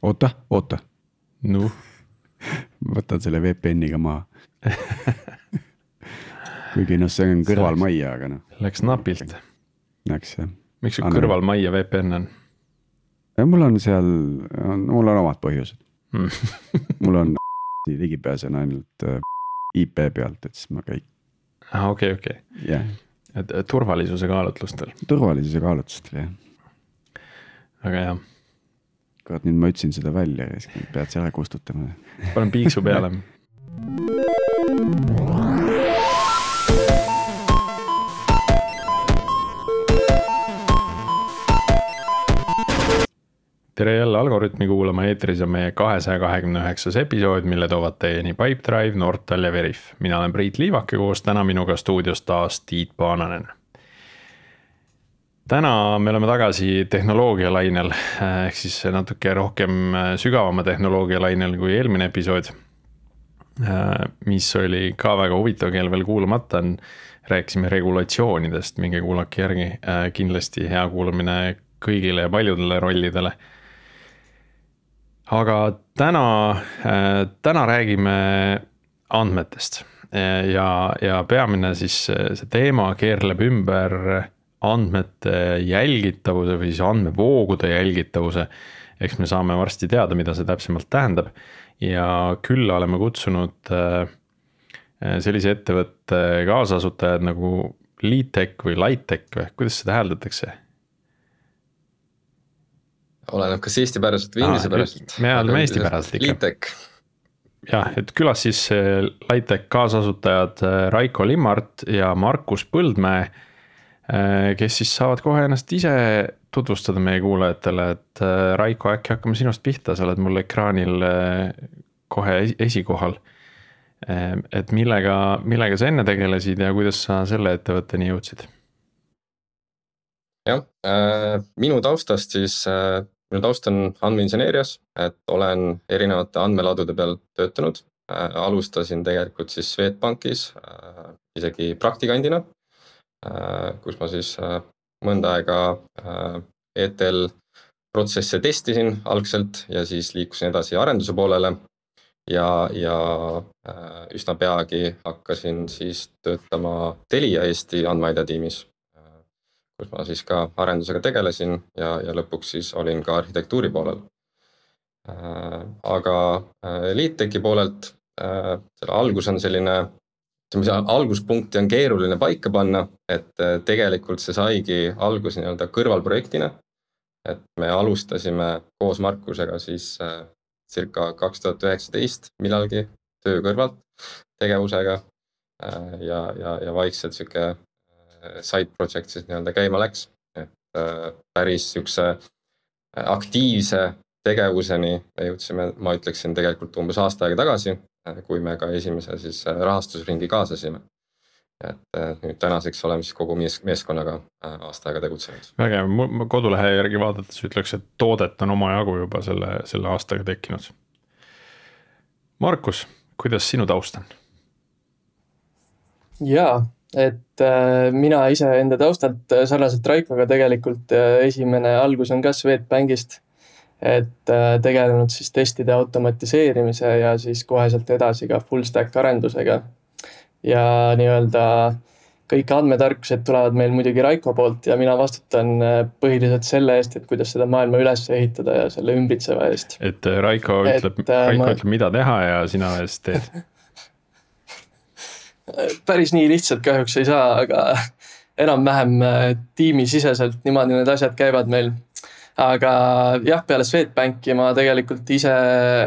Oota. Noh. Võtan selle VPN-iga maha. Kuigi see on kõrval majja, aga Läks napilt. Läks jah. Miks sul kõrval majja VPN on? Mul on seal, mul on omad põhjused. Mul on ligipääsen ainult IP pealt, et siis ma kõik. Okei. Yeah. Et turvalisuse kaalutlustel. Turvalisuse kaalutlustel, jah. Aga jah. Kurat, nüüd ma ütlesin seda välja ja siis pead see ära kustutama. Panen piiksu peale. Tere jälle Algorütmi kuulama, eetris on meie 229. episood, mille toovad teieni Pipedrive, Nortal ja Veriff. Mina olen Priit Liivak ja koos täna minuga stuudios taas Tiit Paananen. Täna me oleme tagasi tehnoloogia lainel, ehk siis natuke rohkem sügavama tehnoloogia lainel kui eelmine episood, mis oli ka väga huvitav, keel veel kuulamata on. Rääkisime regulatsioonidest, minge kuulake järgi, kindlasti hea kuulamine kõigile ja paljudele rollidele. Aga täna räägime andmetest ja peamine siis see teema keerleb ümber andmete jälgitavuse või siis andmevoogude jälgitavuse. Eks me saame varsti teada, mida see täpsemalt tähendab. Ja külla oleme kutsunud sellise ettevõtte kaasasutajad nagu LeadTech või LightTech või kuidas seda hääldatakse? Oleneb kas Eesti päraselt või inglise päraselt. Me hääldame Eesti päraselt ikka. LeadTech. Jah, et külas siis LightTech kaasasutajad Raiko Limmart ja Markus Põldmäe, kes siis saavad kohe ennast ise tutvustada meie kuulajatele, et Raiko, äkki hakkame sinust pihta, sa oled mul ekraanil kohe esikohal. Et millega sa enne tegelesid ja kuidas sa selle ettevõtteni jõudsid? Jah, minu taustast siis, minu taust on andmeinseneerias, et olen erinevate andmeladude peal töötanud. Alustasin tegelikult siis Swedbankis isegi praktikandina, kus ma siis mõnda aega ETL protsesse testisin algselt ja siis liikusin edasi arenduse poolele ja üsna peagi hakkasin siis töötama Telia Eesti andmeaida tiimis, kus ma siis ka arendusega tegelesin ja lõpuks siis olin ka arhitektuuri poolel. Aga LeadTechi poolelt selle algus on selline, alguspunkti on keeruline paika panna, et tegelikult see saigi algus nii-öelda kõrvalprojektina, et me alustasime koos Markusega siis circa 2019 millalgi töö kõrvalt tegevusega ja vaikselt siuke side project siis nii-öelda käima läks, et päris siukse aktiivse tegevuseni me jõudsime, ma ütleksin tegelikult umbes aasta aega tagasi, kui me ka esimese siis rahastusringi kaasasime. Et nüüd tänaseks oleme siis kogu meeskonnaga aasta aega tegutsenud. Väga, ma kodulehe järgi vaadates ütleks, et toodet on oma jagu juba selle aastaga tekkinud. Markus, kuidas sinu taust on? Jaa, et mina ise enda taustalt sarnaselt Raikoga tegelikult esimene algus on ka Swedbankist, et tegelenud siis testide automatiseerimise ja siis koheselt edasi ka full stack arendusega. Ja nii-öelda kõik andmetarkused tulevad meil muidugi Raiko poolt ja mina vastutan põhiliselt selle eest, et kuidas seda maailma üles ehitada ja selle ümbritseva eest. Et Raiko ütleb, mida teha ja sina eest teed. Päris nii lihtsalt kahjuks ei saa, aga enam-vähem tiimisiseselt niimoodi need asjad käivad meil. Aga jah, peale Swedbanki ma tegelikult ise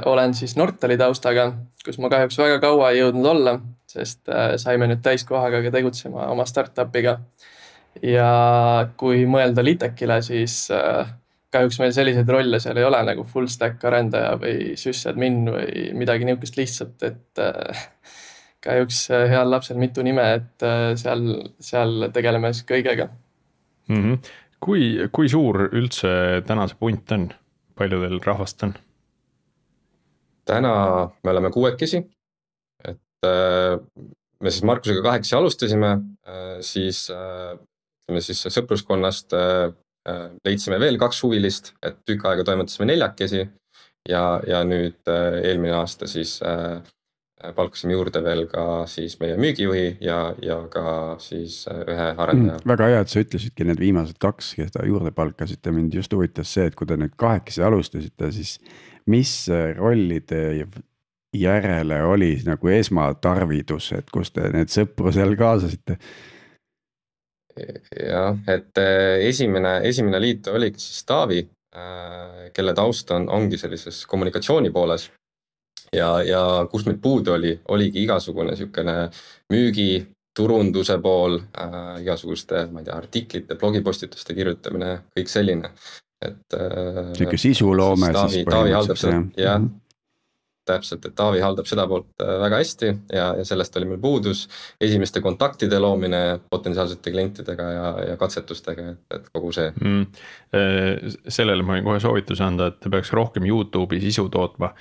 olen siis Nortali taustaga, kus ma kahjuks väga kaua ei jõudnud olla, sest saime nüüd täiskohaga tegutsema oma startupiga. Ja kui mõelda LeadTechile, siis kahjuks meil selliseid rolle seal ei ole nagu full stack arendaja või sysadmin või midagi niukest lihtsalt, et kahjuks heal lapsel mitu nime, et seal tegeleme siis kõigega. Kui suur üldse täna see punt on? Palju teil rahvast on? Täna me oleme 6, et me siis Markusega 8 alustasime, siis sõpruskonnast leidsime veel 2 huvilist, et tükk aega toimetasime 4 ja nüüd eelmine aasta siis palkasime juurde veel ka siis meie müügijuhi ja ka siis ühe arendaja. Väga hea, et sa ütlesidki need viimased 2, keda juurde palkasite. Mind just huvitas see, et kui te nüüd 8 alustasite, siis mis rollide järele oli nagu esmatarvidus, et kus te need sõpru seal kaasasite? Jah, et esimene liit oligi siis Taavi, kelle taust ongi sellises kommunikatsiooni pooles. Ja kus meil puudu oligi igasugune sükene müügi, turunduse pool, igasuguste, ma ei tea, artiklite, blogipostituste kirjutamine, kõik selline. Siuke sisuloome siis põhimõtteliselt. Jah, täpselt, et Taavi haldab seda poolt väga hästi ja sellest oli meil puudus. Esimeste kontaktide loomine potentsiaalsete klientidega ja katsetustega, et kogu see. Sellele ma võin kohe soovituse anda, et peaks rohkem YouTube'i sisu tootma.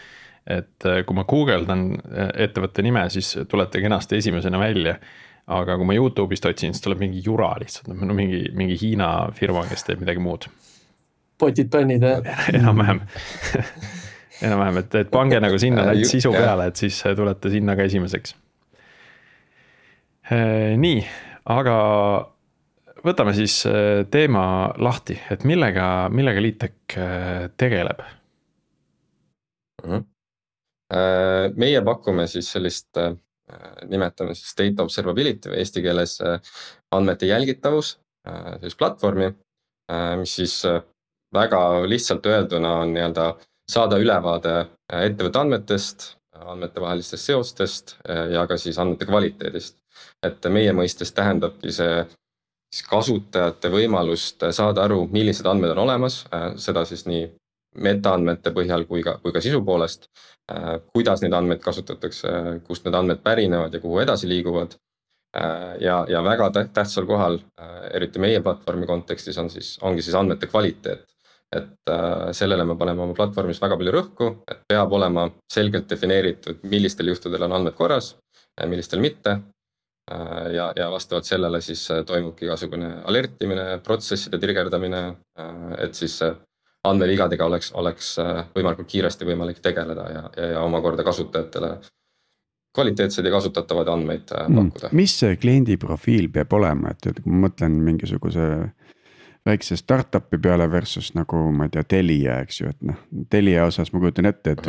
Et kui ma guugeldan ettevõtte nime, siis tulete kenasti esimesena välja. Aga kui ma YouTube'ist otsin, siis tuleb mingi jura lihtsalt, mingi Hiina firma, kes teeb midagi muud. Potid pannid, Enam-vähem, et pange nagu sinna sisu peale, et siis tulete sinna ka esimeseks. Nii, aga võtame siis teema lahti, et millega Liitek tegeleb? Meie pakume siis sellist, nimetame siis data observability või eesti keeles andmete jälgitavus, siis platvormi, mis siis väga lihtsalt öelduna on nii-öelda saada ülevaade ettevõtte andmetest, andmete vahelistest seostest ja ka siis andmete kvaliteedist. Et meie mõistes tähendabki see siis kasutajate võimalust saada aru, millised andmed on olemas, seda siis nii metaandmete põhjal kui ka sisu poolest, kuidas neid andmeid kasutatakse, kust need andmed pärinevad ja kuhu edasi liiguvad. Ja väga tähtsal kohal, eriti meie platvormi kontekstis ongi siis andmete kvaliteet. Et sellele me paneme oma platvormis väga palju rõhku, et peab olema selgelt defineeritud, millistel juhtudel on andmed korras, millistel mitte. Ja vastavalt sellele siis toimubki igasugune alertimine, protsesside trigerdamine, et siis andmevigadega oleks võimalikult kiiresti võimalik tegeleda ja omakorda kasutajatele kvaliteetsed ja kasutatavad andmeid pakkuda. Mis see kliendi profiil peab olema, et kui ma mõtlen mingisuguse väikse startupi peale versus nagu ma ei tea, Telia, eks ju, et Telia osas ma kujutan ette, et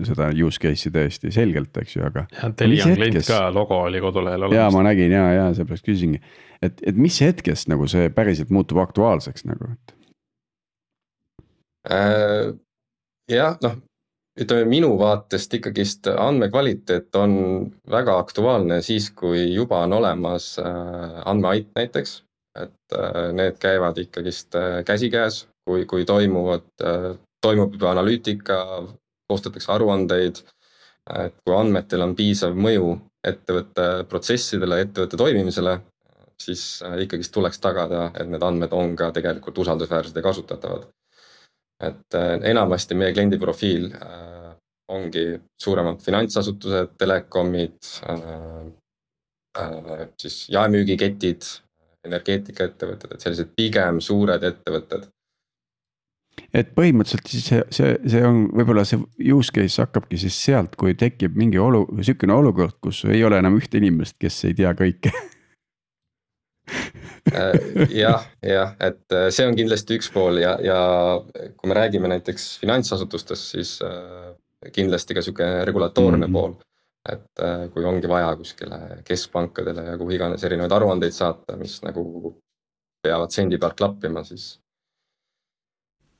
seda use case'i tõesti selgelt, eks ju, aga. Ja Telia on klient ka, logo oli kodulehel olemas. Ja ma nägin ja seepärast küsingi, et mis hetkest nagu see päriselt muutub aktuaalseks nagu, et. Jah, ütleme minu vaatest ikkagist andmekvaliteet on väga aktuaalne siis, kui juba on olemas andmeait näiteks, et need käivad ikkagist käsikäes, kui toimub juba analüütika, koostatakse aruandeid, et kui andmetel on piisav mõju ettevõtte protsessidele, ettevõtte toimimisele, siis ikkagist tuleks tagada, et need andmed on ka tegelikult usaldusväärsed ja kasutatavad. Et enamasti meie kliendi profiil ongi suuremad finantsasutused, telekomid, siis jaemüügiketid, energeetikaettevõtted, et sellised pigem suured ettevõtted. Et põhimõtteliselt siis see on võib-olla see use case hakkabki siis sealt, kui tekib mingi sükene olukord, kus ei ole enam ühte inimest, kes ei tea kõike. Jah, et see on kindlasti üks pool ja kui me räägime näiteks finantsasutustest, siis kindlasti ka siuke regulatoorne pool, et kui ongi vaja kuskile keskpankadele ja kuhu iganes erinevaid aruandeid saata, mis nagu peavad sendi pealt klappima, siis.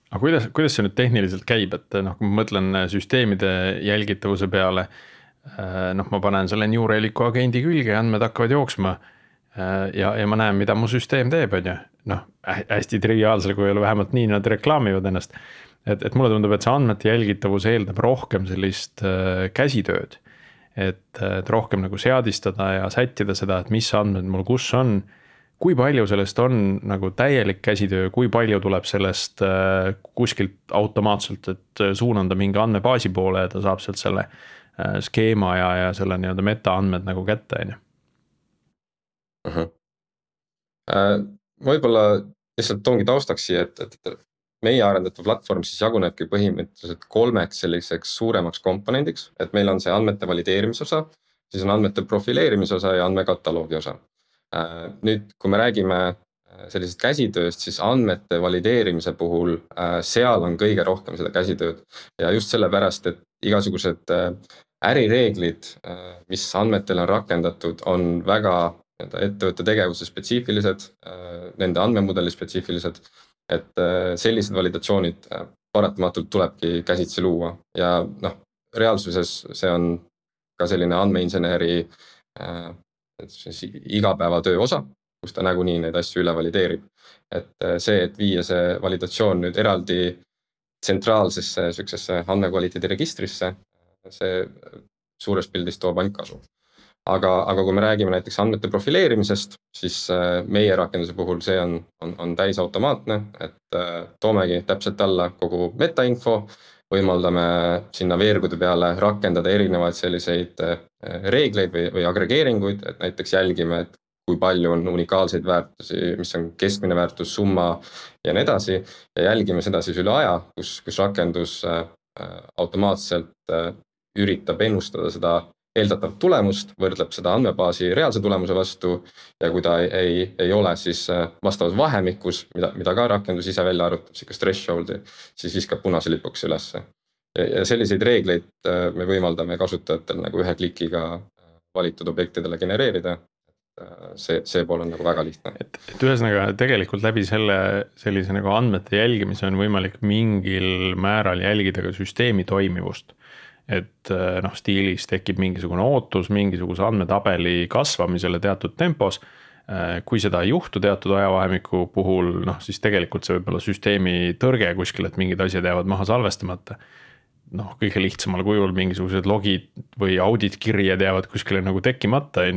Aga kuidas see nüüd tehniliselt käib, et kui ma mõtlen süsteemide jälgitavuse peale, ma panen selle New Relic'u agendi külge ja andmed hakkavad jooksma ja ma näen, mida mu süsteem teeb, hästi triviaalsel kujul, vähemalt nii nad reklaamivad ennast. Et mulle tundub, et see andmete jälgitavus eeldab rohkem sellist käsitööd, et rohkem nagu seadistada ja sättida seda, et mis andmed mul kus on, kui palju sellest on nagu täielik käsitöö, kui palju tuleb sellest kuskilt automaatselt, et suunanda mingi andmebaasi poole ja ta saab sealt selle skeema ja selle nii-öelda meta-andmed nagu kätte. Võib-olla lihtsalt toongi taustaks siia, et meie arendatav platvorm siis jagunebki põhimõtteliselt 3 selliseks suuremaks komponendiks, et meil on see andmete valideerimise osa, siis on andmete profileerimise osa ja andmekataloogi osa. Nüüd, kui me räägime sellisest käsitööst, siis andmete valideerimise puhul seal on kõige rohkem seda käsitööd ja just sellepärast, et igasugused ärireeglid, mis andmetel on rakendatud, on väga ettevõtte tegevuse spetsiifilised, nende andmemudeli spetsiifilised, et sellised validatsioonid paratamatult tulebki käsitsi luua ja reaalsuses see on ka selline andmeinseneri igapäevatöö osa, kus ta nagunii neid asju üle valideerib. Et see, et viia see validatsioon nüüd eraldi tsentraalsesse sellisesse andmekvaliteedi registrisse, see suures pildis toob ainult kasu. Aga kui me räägime näiteks andmete profileerimisest, siis meie rakenduse puhul see on täisautomaatne, et toomegi täpselt alla kogu metainfo, võimaldame sinna veergude peale rakendada erinevaid selliseid reegleid või agregeeringuid, et näiteks jälgime, et kui palju on unikaalseid väärtusi, mis on keskmine väärtus, summa ja nii edasi, ja jälgime seda siis üle aja, kus rakendus automaatselt üritab ennustada seda eeldatavat tulemust, võrdleb seda andmebaasi reaalse tulemuse vastu ja kui ta ei ole siis vastavas vahemikus, mida ka rakendus ise välja arvutab, sellist thresholdi, siis viskab punase lipuks ülesse. Ja selliseid reegleid me võimaldame kasutajatel nagu ühe klikiga valitud objektidele genereerida. See pool on nagu väga lihtne. Et ühesõnaga tegelikult läbi sellise nagu andmete jälgimise on võimalik mingil määral jälgida ka süsteemi toimivust. Et stiilis tekib mingisugune ootus mingisuguse andmetabeli kasvamisele teatud tempos. Kui seda ei juhtu teatud ajavahemiku puhul, siis tegelikult see võib olla süsteemi tõrge kuskil, et mingid asjad jäävad maha salvestamata. Kõige lihtsamal kujul mingisugused logid või auditkirjed jäävad kuskile nagu tekkimata,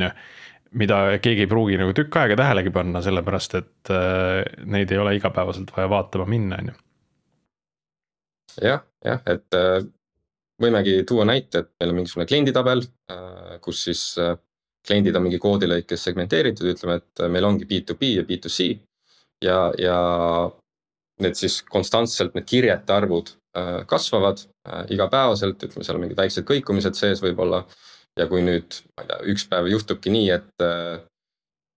mida keegi ei pruugi nagu tükk aega tähelegi panna, sellepärast et neid ei ole igapäevaselt vaja vaatama minna. Jah, et võimegi tuua näite, et meil on mingisugune klienditabel, kus siis kliendid on mingi koodilõikes segmenteeritud, ütleme, et meil ongi B2B ja B2C ja need siis konstantselt need kirjete arvud kasvavad igapäevaselt, ütleme, seal on mingid väiksed kõikumised sees võib-olla ja kui nüüd üks päev juhtubki nii, et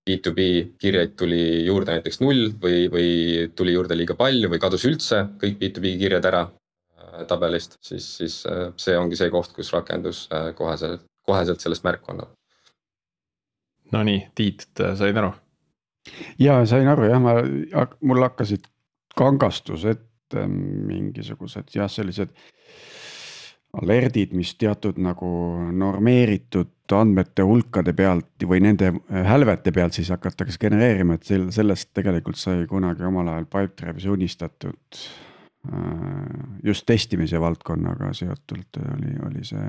B2B kirjaid tuli juurde näiteks 0 või tuli juurde liiga palju või kadus üldse kõik B2B kirjad ära tabelist, siis see ongi see koht, kus rakendus koheselt sellest märku annab. No nii, Tiit, said aru? Ja sain aru jah, mul hakkasid kangastused mingisugused sellised alertid, mis teatud nagu normeeritud andmete hulkade pealt või nende hälvete pealt siis hakatakse genereerima, et sellest tegelikult sai kunagi omal ajal Pipedrive'is unistatud just testimise valdkonnaga seotult oli see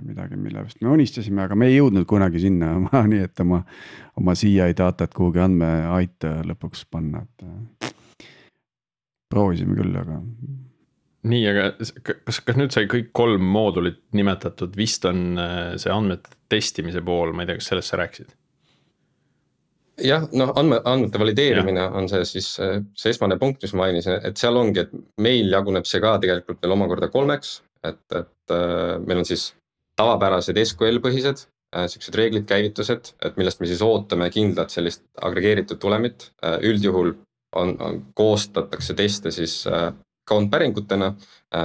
midagi, millest me unistasime, aga me ei jõudnud kunagi sinna, nii et oma CI datat kuhugi andmeaita lõpuks panna. Proovisime küll, aga... Nii, aga kas nüüd sai kõik 3 moodulit nimetatud, vist on see andmete testimise pool, ma ei tea, kas sellest sa rääkisid? Jah, andmete valideerimine on see siis see esmane punkt, mis mainisin, et seal ongi, et meil jaguneb see ka tegelikult veel omakorda 3, et meil on siis tavapärased SQL-põhised, sellised reeglid, käivitused, et millest me siis ootame kindlat sellist agregeeritud tulemit. Üldjuhul koostatakse teste siis count päringutena,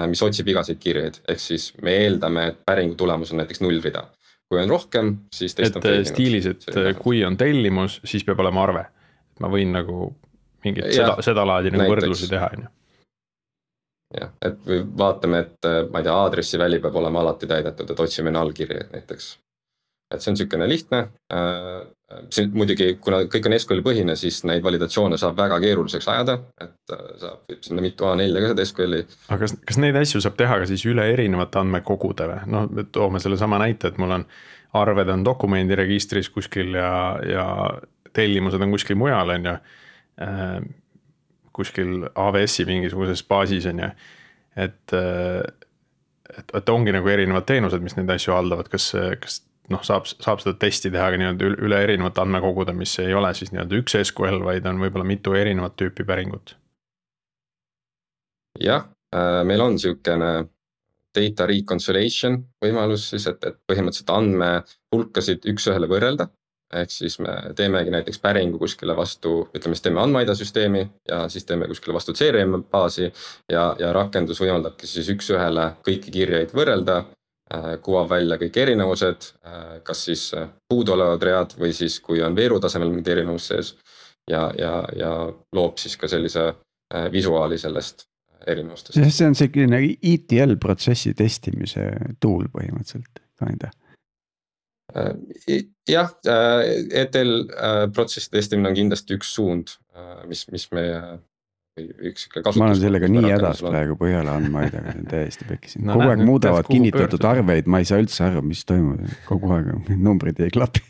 mis otsib igasid kirjeid, ehk siis me eeldame, et päringu tulemus on näiteks 0 rida. Kui on rohkem, siis test on feilinud. Stiilis, et kui on tellimus, siis peab olema arve. Ma võin nagu mingit seda laadi nagu võrdlusi teha. Jah, et või vaatame, et ma ei tea, aadressi väli peab olema alati täidetud, et otsime null-kirjeid näiteks. Et see on niisugune lihtne. Muidugi, kuna kõik on SQL põhine, siis neid validatsioone saab väga keeruliseks ajada, et saab sinna mitu A4 ka seda SQL-i. Aga kas neid asju saab teha ka siis üle erinevate andmekogudele? Toome selle sama näite, et mul on arved on dokumendiregistris kuskil ja tellimused on kuskil mujal, kuskil AWS-i mingisuguses baasis, et ongi nagu erinevad teenused, mis neid asju haldavad, kas saab seda testi teha ka üle erinevate andmekogude, mis ei ole siis üks SQL, vaid on võib-olla mitu erinevat tüüpi päringut? jah, meil on niisugune data reconciliation võimalus siis, et põhimõtteliselt andmehulkasid üks-ühele võrrelda. Ehk siis me teemegi näiteks päringu kuskile vastu, ütleme siis teeme andmeaida süsteemi ja siis teeme kuskile vastu CRM baasi ja rakendus võimaldabki siis üks-ühele kõiki kirjeid võrrelda, kuvab välja kõik erinevused, kas siis puuduolevad read või siis kui on veeru tasemel mingi erinevus sees ja loob siis ka sellise visuaali sellest erinevustest. See on selline ETL protsessi testimise tool põhimõtteliselt, kinda. Jah, ETL protsessi testimine on kindlasti üks suund, mis meie üks kasutus. Ma olen sellega nii hädas praegu Põhjala andmaidaga, täiesti pekkisin. Kogu aeg muudavad kinnitatud arveid, ma ei saa üldse aru, mis toimub. Kogu aeg numbrid ei klapi.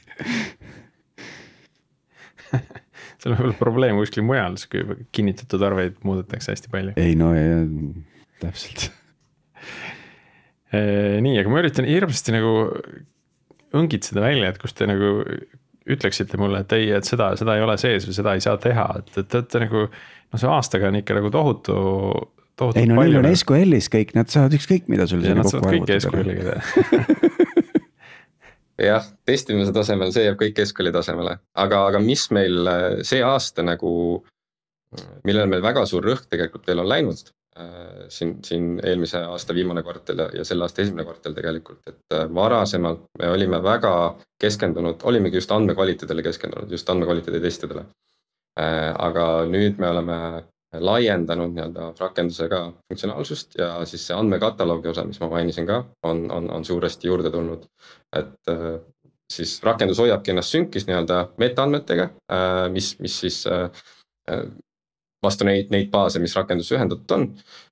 See on võib-olla probleem kuskil mujal, kui kinnitatud arveid muudetakse hästi palju. Ei no, täpselt. Nii, aga ma üritan hirmsasti nagu õngitseda välja, et kus te nagu ütleksite mulle, et ei, et seda ei ole sees või seda ei saa teha, et nagu, no see aastaga on ikka nagu tohutu ei no neil on SQL-is kõik, nad saavad ükskõik mida sul ja nad saavad kõik SQL-iga teha. Jah, testimise tasemel see jääb kõik SQL-i tasemele, aga mis meil see aasta nagu, millel meil väga suur rõhk tegelikult veel on läinud, siin eelmise aasta viimane kvartal ja selle aasta esimene kvartal tegelikult, et varasemalt me olime väga keskendunud, olimegi just andmekvaliteedile keskendunud, just andmekvaliteedi testidele. Aga nüüd me oleme laiendanud nii-öelda rakendusega funktsionaalsust ja siis see andmekataloogi osa, mis ma mainisin ka, on suuresti juurde tulnud. Et siis rakendus hoiabki ennast sünkis nii-öelda metaandmetega, mis siis vastu neid baase, mis rakendus ühendatud on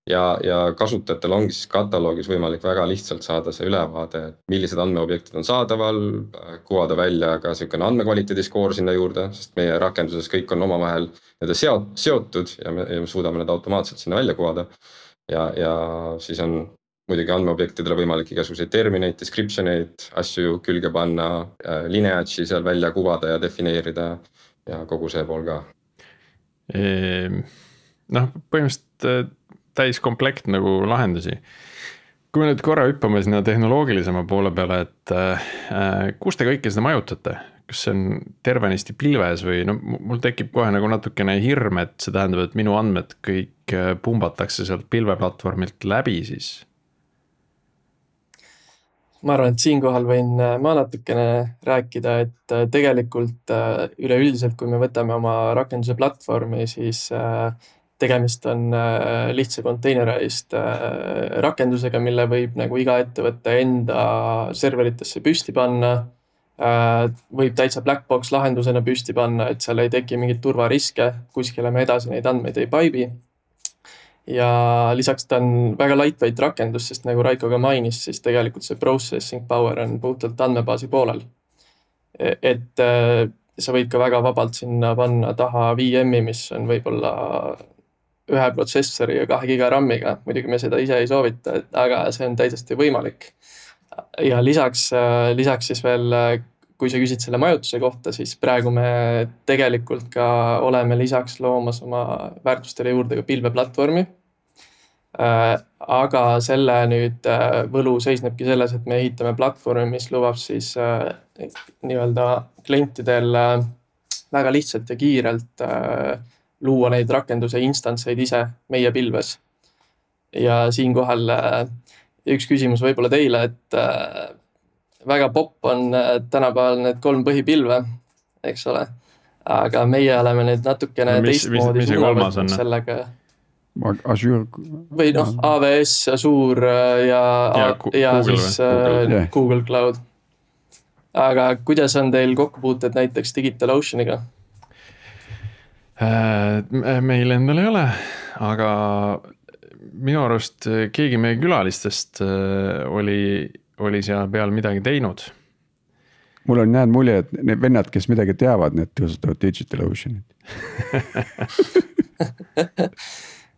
ja kasutajatel ongi siis kataloogis võimalik väga lihtsalt saada see ülevaade, millised andmeobjektid on saadaval, kuvada välja ka niisugune andmekvaliteedi skoor sinna juurde, sest meie rakenduses kõik on omavahel seotud ja me suudame need automaatselt sinna välja kuvada ja siis on muidugi andmeobjektidele võimalik igasuguseid termineid, descriptioneid, asju külge panna, lineage'i seal välja kuvada ja defineerida ja kogu see pool ka. Noh, põhimõtteliselt täis komplekt nagu lahendusi. Kui me nüüd korra hüppame sinna tehnoloogilisema poole peale, et kus te kõike seda majutate? Kas see on tervenisti pilves või no mul tekib kohe nagu natukene hirm, et see tähendab, et minu andmed kõik pumbatakse sealt pilveplatvormilt läbi siis? Ma arvan, et siinkohal võin ma natukene rääkida, et tegelikult üleüldiselt, kui me võtame oma rakenduse platvormi, siis tegemist on lihtsa containerized rakendusega, mille võib nagu iga ettevõtte enda serveritesse püsti panna. Võib täitsa black box lahendusena püsti panna, et seal ei teki mingit turvariske, kuskile me edasi neid andmeid ei paibi. Ja lisaks ta on väga lightweight rakendus, sest nagu Raiko ka mainis, siis tegelikult see processing power on puhtalt andmebaasi poolel. Et sa võid ka väga vabalt sinna panna taha VM-i, mis on võib-olla 1 protsessori ja 2 giga RAM-iga. Muidugi me seda ise ei soovita, aga see on täiesti võimalik. Ja lisaks siis veel, kui sa küsid selle majutuse kohta, siis praegu me tegelikult ka oleme lisaks loomas oma väärtustele juurde ka pilveplatvormi. Aga selle nüüd võlu seisnebki selles, et me ehitame platvormi, mis lubab siis nii-öelda klientidel väga lihtsalt ja kiirelt luua neid rakenduse instantseid ise meie pilves. Ja siinkohal üks küsimus võib-olla teile, et väga popp on tänapäeval need 3 põhipilve, eks ole. Aga meie oleme nüüd natukene teistmoodi suunavõtnud sellega. Azure. Või noh, AWS, Azure ja siis Google Cloud. Aga kuidas on teil kokkupuuted näiteks DigitalOceaniga? Meil endal ei ole, aga minu arust keegi meie külalistest oli seal peal midagi teinud. Mul on näed mulje, et need vennad, kes midagi teavad, need kasutavad DigitalOceanit.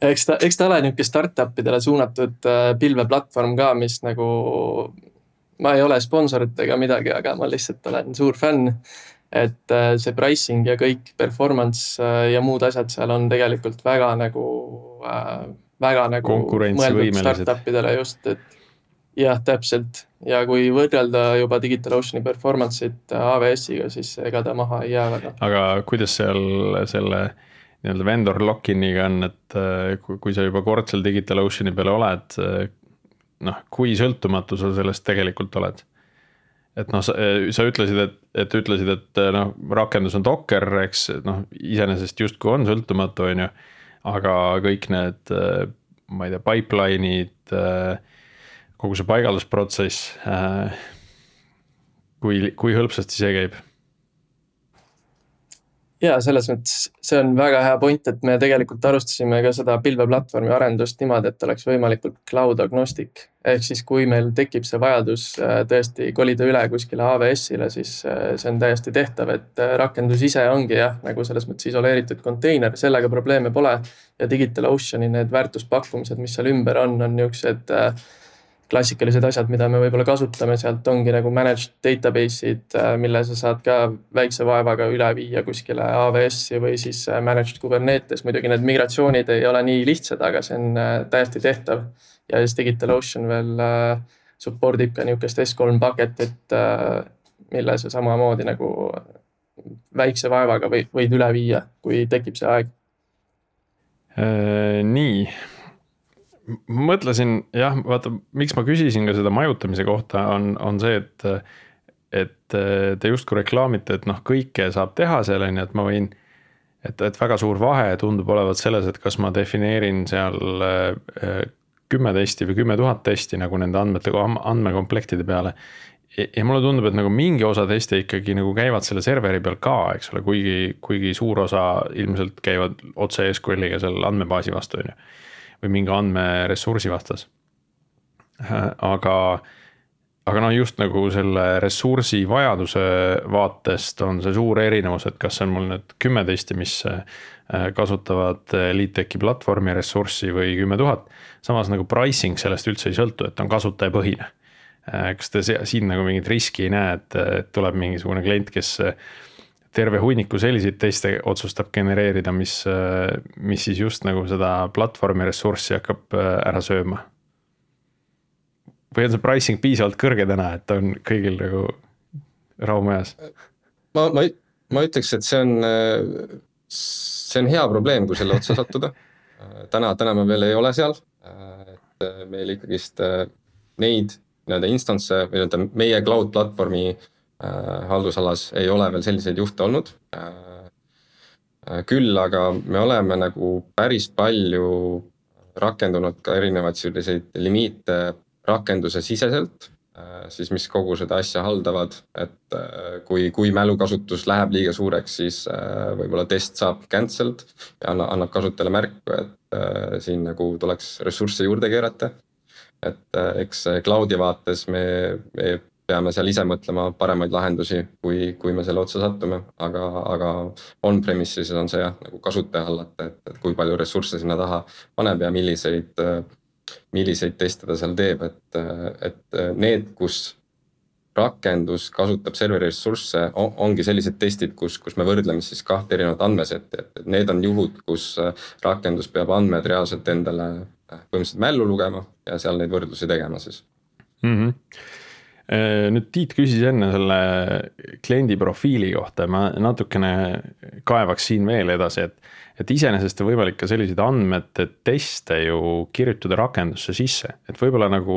Eks ta ole niisugune startupidele suunatud pilveplatvorm ka, mis nagu, ma ei ole sponsorit ega midagi, aga ma lihtsalt olen suur fänn, et see pricing ja kõik performance ja muud asjad seal on tegelikult väga nagu väga nagu mõeldud Konkurentsivõimelised. startupidele just, et jah, täpselt. Ja kui võrrelda juba DigitalOceani performance'it AWS-iga, siis ega ta maha ei jää väga. Aga kuidas seal selle nii-öelda vendor lock-in'iga on, et kui sa juba kord seal DigitalOceani peale oled, noh, kui sõltumatu sa sellest tegelikult oled? Et noh, sa ütlesid, et noh, rakendus on Docker, eks, noh, iseenesest justkui on sõltumatu, on ju, aga kõik need, ma ei tea, pipeline'id, kogu see paigaldusprotsess, kui hõlpsasti see käib? Ja selles mõttes see on väga hea point, et me tegelikult alustasime ka seda pilveplatvormi arendust niimoodi, et oleks võimalikult cloud agnostic. Ehk siis kui meil tekib see vajadus tõesti kolida üle kuskile AWS-ile, siis see on täiesti tehtav, et rakendus ise ongi jah, nagu selles mõttes isoleeritud konteiner, sellega probleeme pole. Ja DigitalOceani need väärtuspakkumised, mis seal ümber on niisugused klassikalised asjad, mida me võib-olla kasutame, sealt ongi nagu managed database'id, mille sa saad ka väikse vaevaga üle viia kuskile AWS-i või siis managed Kubernetes. Muidugi need migratsioonid ei ole nii lihtsad, aga see on täiesti tehtav. Ja siis DigitalOcean veel supportib ka niisugust S3 paketit, mille sa samamoodi nagu väikse vaevaga võid üle viia, kui tekib see aeg. Nii. Mõtlesin, jah, vaata, miks ma küsisin ka seda majutamise kohta on see, et te justkui reklaamite, et noh, kõike saab teha selleni, et ma võin, et väga suur vahe tundub olevat selles, et kas ma defineerin seal 10 testi või 10 000 testi nagu nende andmekomplektide peale. Ja mulle tundub, et nagu mingi osa teste ikkagi nagu käivad selle serveri peal ka, eks ole, kuigi suur osa ilmselt käivad otse SQL-iga seal andmebaasi vastu, või mingi andmeressursi vastas. Aga no just nagu selle ressursi vajaduse vaatest on see suur erinevus, et kas on mul nüüd 10 testi, mis kasutavad LeadTechi platvormi ressurssi või 10 000. Samas nagu pricing sellest üldse ei sõltu, et on kasutajapõhine. Kas te siin nagu mingit riski ei näe, et tuleb mingisugune klient, kes terve hunniku selliseid teiste otsustab genereerida, mis siis just nagu seda platvormi ressurssi hakkab ära sööma? Või on see pricing piisavalt kõrge täna, et on kõigil nagu rahumajas? Ma ütleks, et see on hea probleem, kui selle otsa sattuda. Täna me veel ei ole seal, et meil ikkagist neid instance või meie cloud platvormi haldusalas ei ole veel selliseid juhte olnud. Küll aga me oleme nagu päris palju rakendunud ka erinevaid selliseid limiite rakenduse siseselt, siis mis kogu seda asja haldavad, et kui mälukasutus läheb liiga suureks, siis võib-olla test saab cancelled ja annab kasutajale märku, et siin nagu tuleks ressursse juurde keerata. Et eks cloudi vaates me peame seal ise mõtlema paremaid lahendusi, kui me selle otsa sattume, aga on-premises on see jah, nagu kasutaja hallata, et kui palju ressursse sinna taha paneb ja milliseid teste ta seal teeb, et need, kus rakendus kasutab serveri ressursse, ongi sellised testid, kus me võrdleme siis 2 erinevat andmesetti, et need on juhud, kus rakendus peab andmed reaalselt endale põhimõtteliselt mällu lugema ja seal neid võrdlusi tegema siis. Nüüd Tiit küsis enne selle kliendi profiili kohta, ma natukene kaevaks siin veel edasi, et iseenesest on võimalik ka selliseid andmete teste ju kirjutada rakendusse sisse, et võib-olla nagu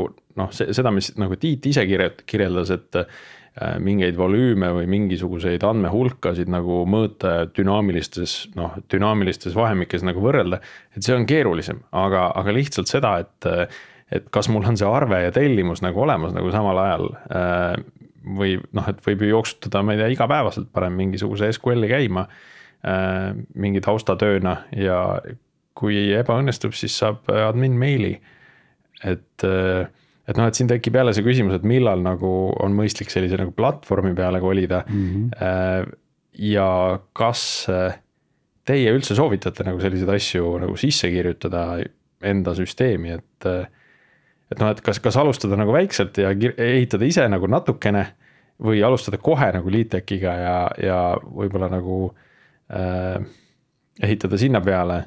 seda, mis nagu Tiit ise kirjeldas, et mingeid volüüme või mingisuguseid andmehulkasid nagu mõõta dünaamilistes vahemikes nagu võrrelda, et see on keerulisem, aga lihtsalt seda, et kas mul on see arve ja tellimus nagu olemas nagu samal ajal või et võib ju jooksutada, ma ei tea, igapäevaselt parem mingisuguse SQL-i käima mingi taustatööna ja kui ebaõnnestub, siis saab admin meili. Et siin tekib jälle see küsimus, et millal nagu on mõistlik sellise nagu platvormi peale kolida ja kas teie üldse soovitate nagu selliseid asju nagu sisse kirjutada enda süsteemi, et kas alustada nagu väikselt ja ehitada ise nagu natukene või alustada kohe nagu LeadTechiga ja võib-olla nagu ehitada sinna peale?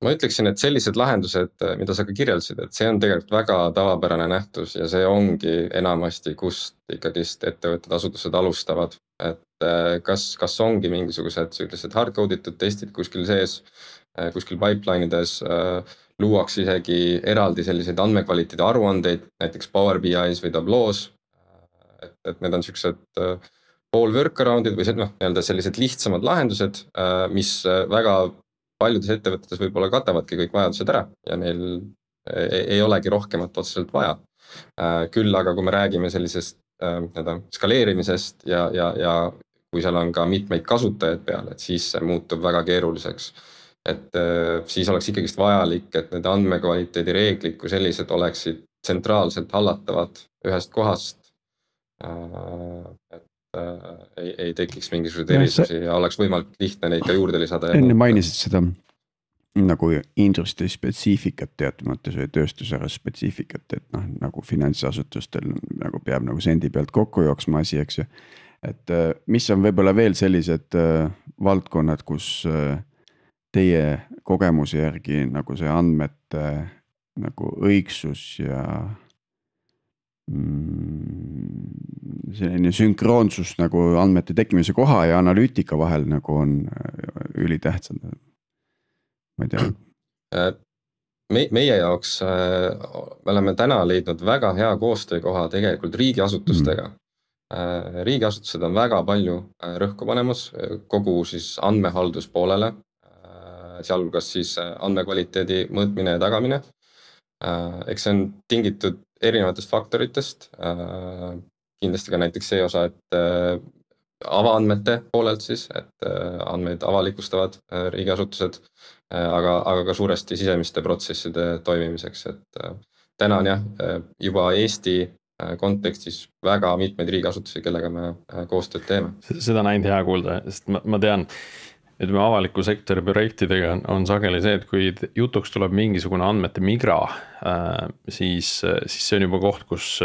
ma ütleksin, et sellised lahendused, mida sa ka kirjeldasid, et see on tegelikult väga tavapärane nähtus ja see ongi enamasti, kust ikkagist ettevõtted, asutused alustavad. Et kas ongi mingisugused sellised hardcode itud testid kuskil sees, kuskil pipeline'ides, luuakse isegi eraldi selliseid andmekvaliteedi aruandeid, näiteks Power BI's või Tableau's. Et need on sellised pool workaround'id või nii-öelda sellised lihtsamad lahendused, mis väga paljudes ettevõtetes võib-olla katavadki kõik vajadused ära ja neil ei olegi rohkemat otseselt vaja. Küll aga kui me räägime sellisest skaleerimisest ja kui seal on ka mitmeid kasutajaid peal, et siis see muutub väga keeruliseks. Et siis oleks ikkagist vajalik, et need andmekvaliteedi reeglid kui sellised oleksid tsentraalselt hallatavad ühest kohast. Et ei tekiks mingisuguseid erisusi ja oleks võimalik lihtne neid ka juurde lisada. Enne mainisid seda nagu industry spetsiifikat teatud mõttes või tööstusera spetsiifikat, et nagu finantsasutustel nagu peab nagu sendi pealt kokku jooksma asi, eks ju. Et mis on võib-olla veel sellised valdkonnad, kus teie kogemuse järgi nagu see andmete nagu õigsus ja selline sünkroonsus nagu andmete tekkimise koha ja analüütika vahel nagu on ülitähtsad. Ma ei tea. Meie jaoks me oleme täna leidnud väga hea koostöökoha tegelikult riigiasutustega. Riigiasutused on väga palju rõhku panemas kogu siis andmehaldus poolele, sealhulgas siis andmekvaliteedi mõõtmine ja tagamine. Eks see on tingitud erinevatest faktoritest, kindlasti ka näiteks see osa, et avaandmete poolelt siis, et andmeid avalikustavad riigiasutused, aga ka suuresti sisemiste protsesside toimimiseks, et täna on juba Eesti kontekstis väga mitmeid riigiasutusi, kellega me koostööd teeme. Seda näinud hea kuulda, sest ma tean, et me avaliku sektori projektidega on sageli see, et kui jutuks tuleb mingisugune andmete migra, siis see on juba koht, kus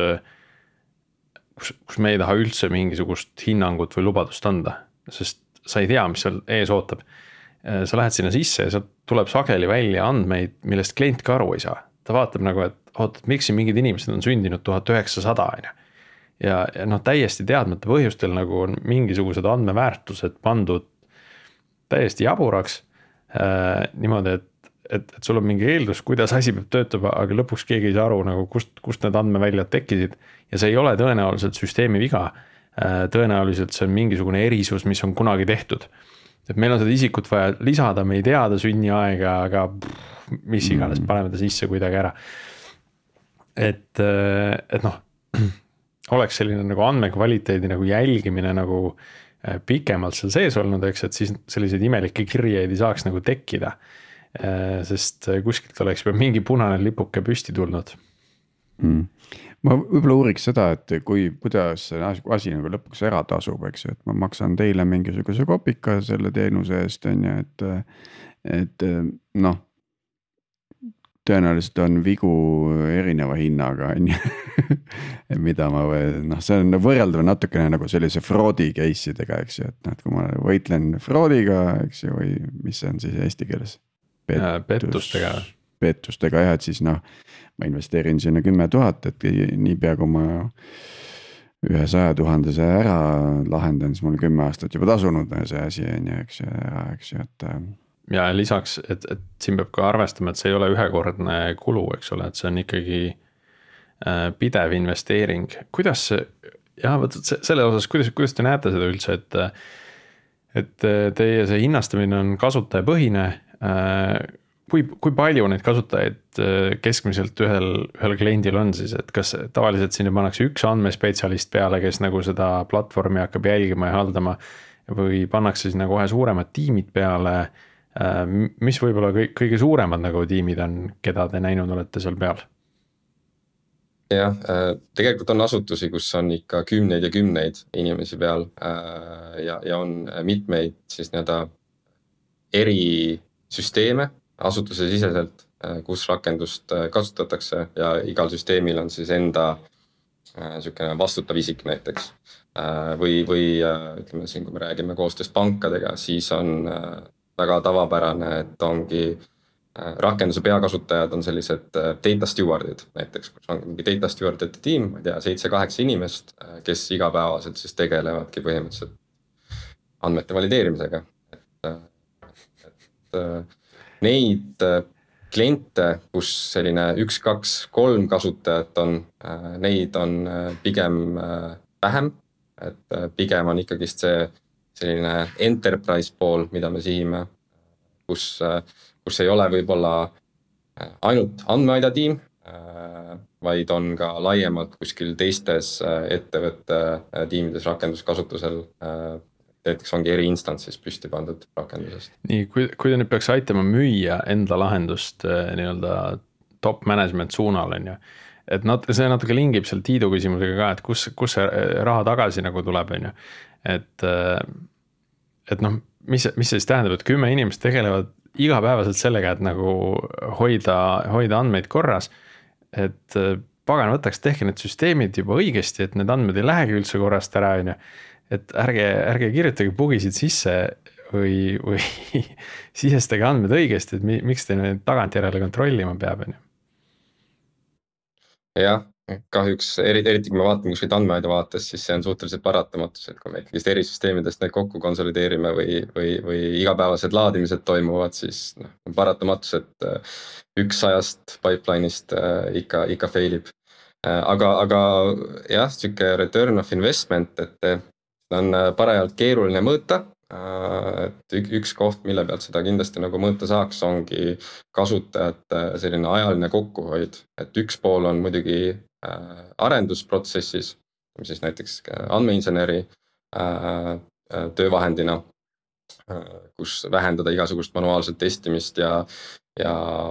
me ei taha üldse mingisugust hinnangut või lubadust anda, sest sa ei tea, mis seal ees ootab. Sa lähed sinna sisse ja sealt tuleb sageli välja andmeid, millest klient ka aru ei saa. Ta vaatab nagu, et miks siin mingid inimesed on sündinud 1900 ja täiesti teadmata põhjustel nagu on mingisugused andmeväärtused pandud täiesti jaburaks, niimoodi, et sul on mingi eeldus, kuidas asi peab töötama, aga lõpuks keegi ei saa aru, nagu kust need andmeväljad tekkisid ja see ei ole tõenäoliselt süsteemi viga, tõenäoliselt see on mingisugune erisus, mis on kunagi tehtud. Et meil on seda isikut vaja lisada, me ei tea ta sünniaega, aga mis iganes, paneme ta sisse kuidagi ära. Et oleks selline nagu andmekvaliteedi nagu jälgimine nagu pikemalt seal sees olnud, eks, et siis selliseid imelikke kirjeid ei saaks nagu tekkida, sest kuskilt oleks juba mingi punane lipuke püsti tulnud. Ma võib-olla uuriks seda, et kuidas see asi nagu lõpuks ära tasub, eks, et ma maksan teile mingisuguse kopika selle teenuse eest, on ju, et tõenäoliselt on vigu erineva hinnaga, on ju, mida ma see on võrreldav natukene nagu sellise fraudi case'idega, eks ju, et kui ma võitlen fraudiga, eks ju, või mis see on siis eesti keeles? Pettustega, et siis ma investeerin sinna 10 000, et niipea kui ma 100 000 ära lahendan, siis mul 10 aastat juba tasunud see asi, on ju, eks ju, et ja lisaks, et siin peab ka arvestama, et see ei ole ühekordne kulu, eks ole, et see on ikkagi pidev investeering. Kuidas selle osas, kuidas te näete seda üldse, et teie see hinnastamine on kasutajapõhine, kui palju neid kasutajaid keskmiselt ühel kliendil on siis, et kas tavaliselt sinna pannakse üks andmespetsialist peale, kes nagu seda platvormi hakkab jälgima ja haldama või pannakse sinna kohe suuremad tiimid peale. Mis võib-olla kõige suuremad nagu tiimid on, keda te näinud olete seal peal? Jah, tegelikult on asutusi, kus on ikka kümneid ja kümneid inimesi peal ja on mitmeid siis eri süsteeme asutuse siseselt, kus rakendust kasutatakse ja igal süsteemil on siis enda vastutav isik näiteks. Või ütleme siin, kui me räägime koostööst pankadega, siis on väga tavapärane, et ongi rakenduse peakasutajad on sellised data stewardid näiteks, kus on mingi data stewardite tiim, ma ei tea, 7-8 inimest, kes igapäevaselt siis tegelevadki põhimõtteliselt andmete valideerimisega. Et neid kliente, kus selline 1, 2, 3 kasutajat on, neid on pigem vähem, et pigem on ikkagist see selline enterprise pool, mida me sihime, kus ei ole võib-olla ainult andmeaida tiim, vaid on ka laiemalt kuskil teistes ettevõtte tiimides rakenduskasutusel, näiteks ongi eri instantsis püsti pandud rakendusest. Nii, kui ta nüüd peaks aitama müüa enda lahendust nii-öelda top management suunal, on ju, et see natuke lingib seal Tiidu küsimusega ka, et kus see raha tagasi nagu tuleb, on ju, et noh, mis see siis tähendab, et 10 inimest tegelevad igapäevaselt sellega, et nagu hoida andmeid korras, et pagan võtaks, tehke need süsteemid juba õigesti, et need andmed ei lähegi üldse korrast ära, on ju, et ärge kirjutage bugisid sisse või sisestage andmed õigesti, et miks te neid tagantjärele kontrollima peab, on ju. Jah, kahjuks eriti kui me vaatame kuskilt andmeaida vaates, siis see on suhteliselt paratamatus, et kui me ikkagist eri süsteemidest neid kokku konsolideerime või igapäevased laadimised toimuvad, siis on paratamatus, et 100 pipeline'ist ikka failib. Aga jah, siuke return of investment, et on parajalt keeruline mõõta, et üks koht, mille pealt seda kindlasti nagu mõõta saaks, ongi kasutajate selline ajaline kokkuhoid, et üks pool on muidugi arendusprotsessis, siis näiteks andmeinseneri töövahendina, kus vähendada igasugust manuaalset testimist ja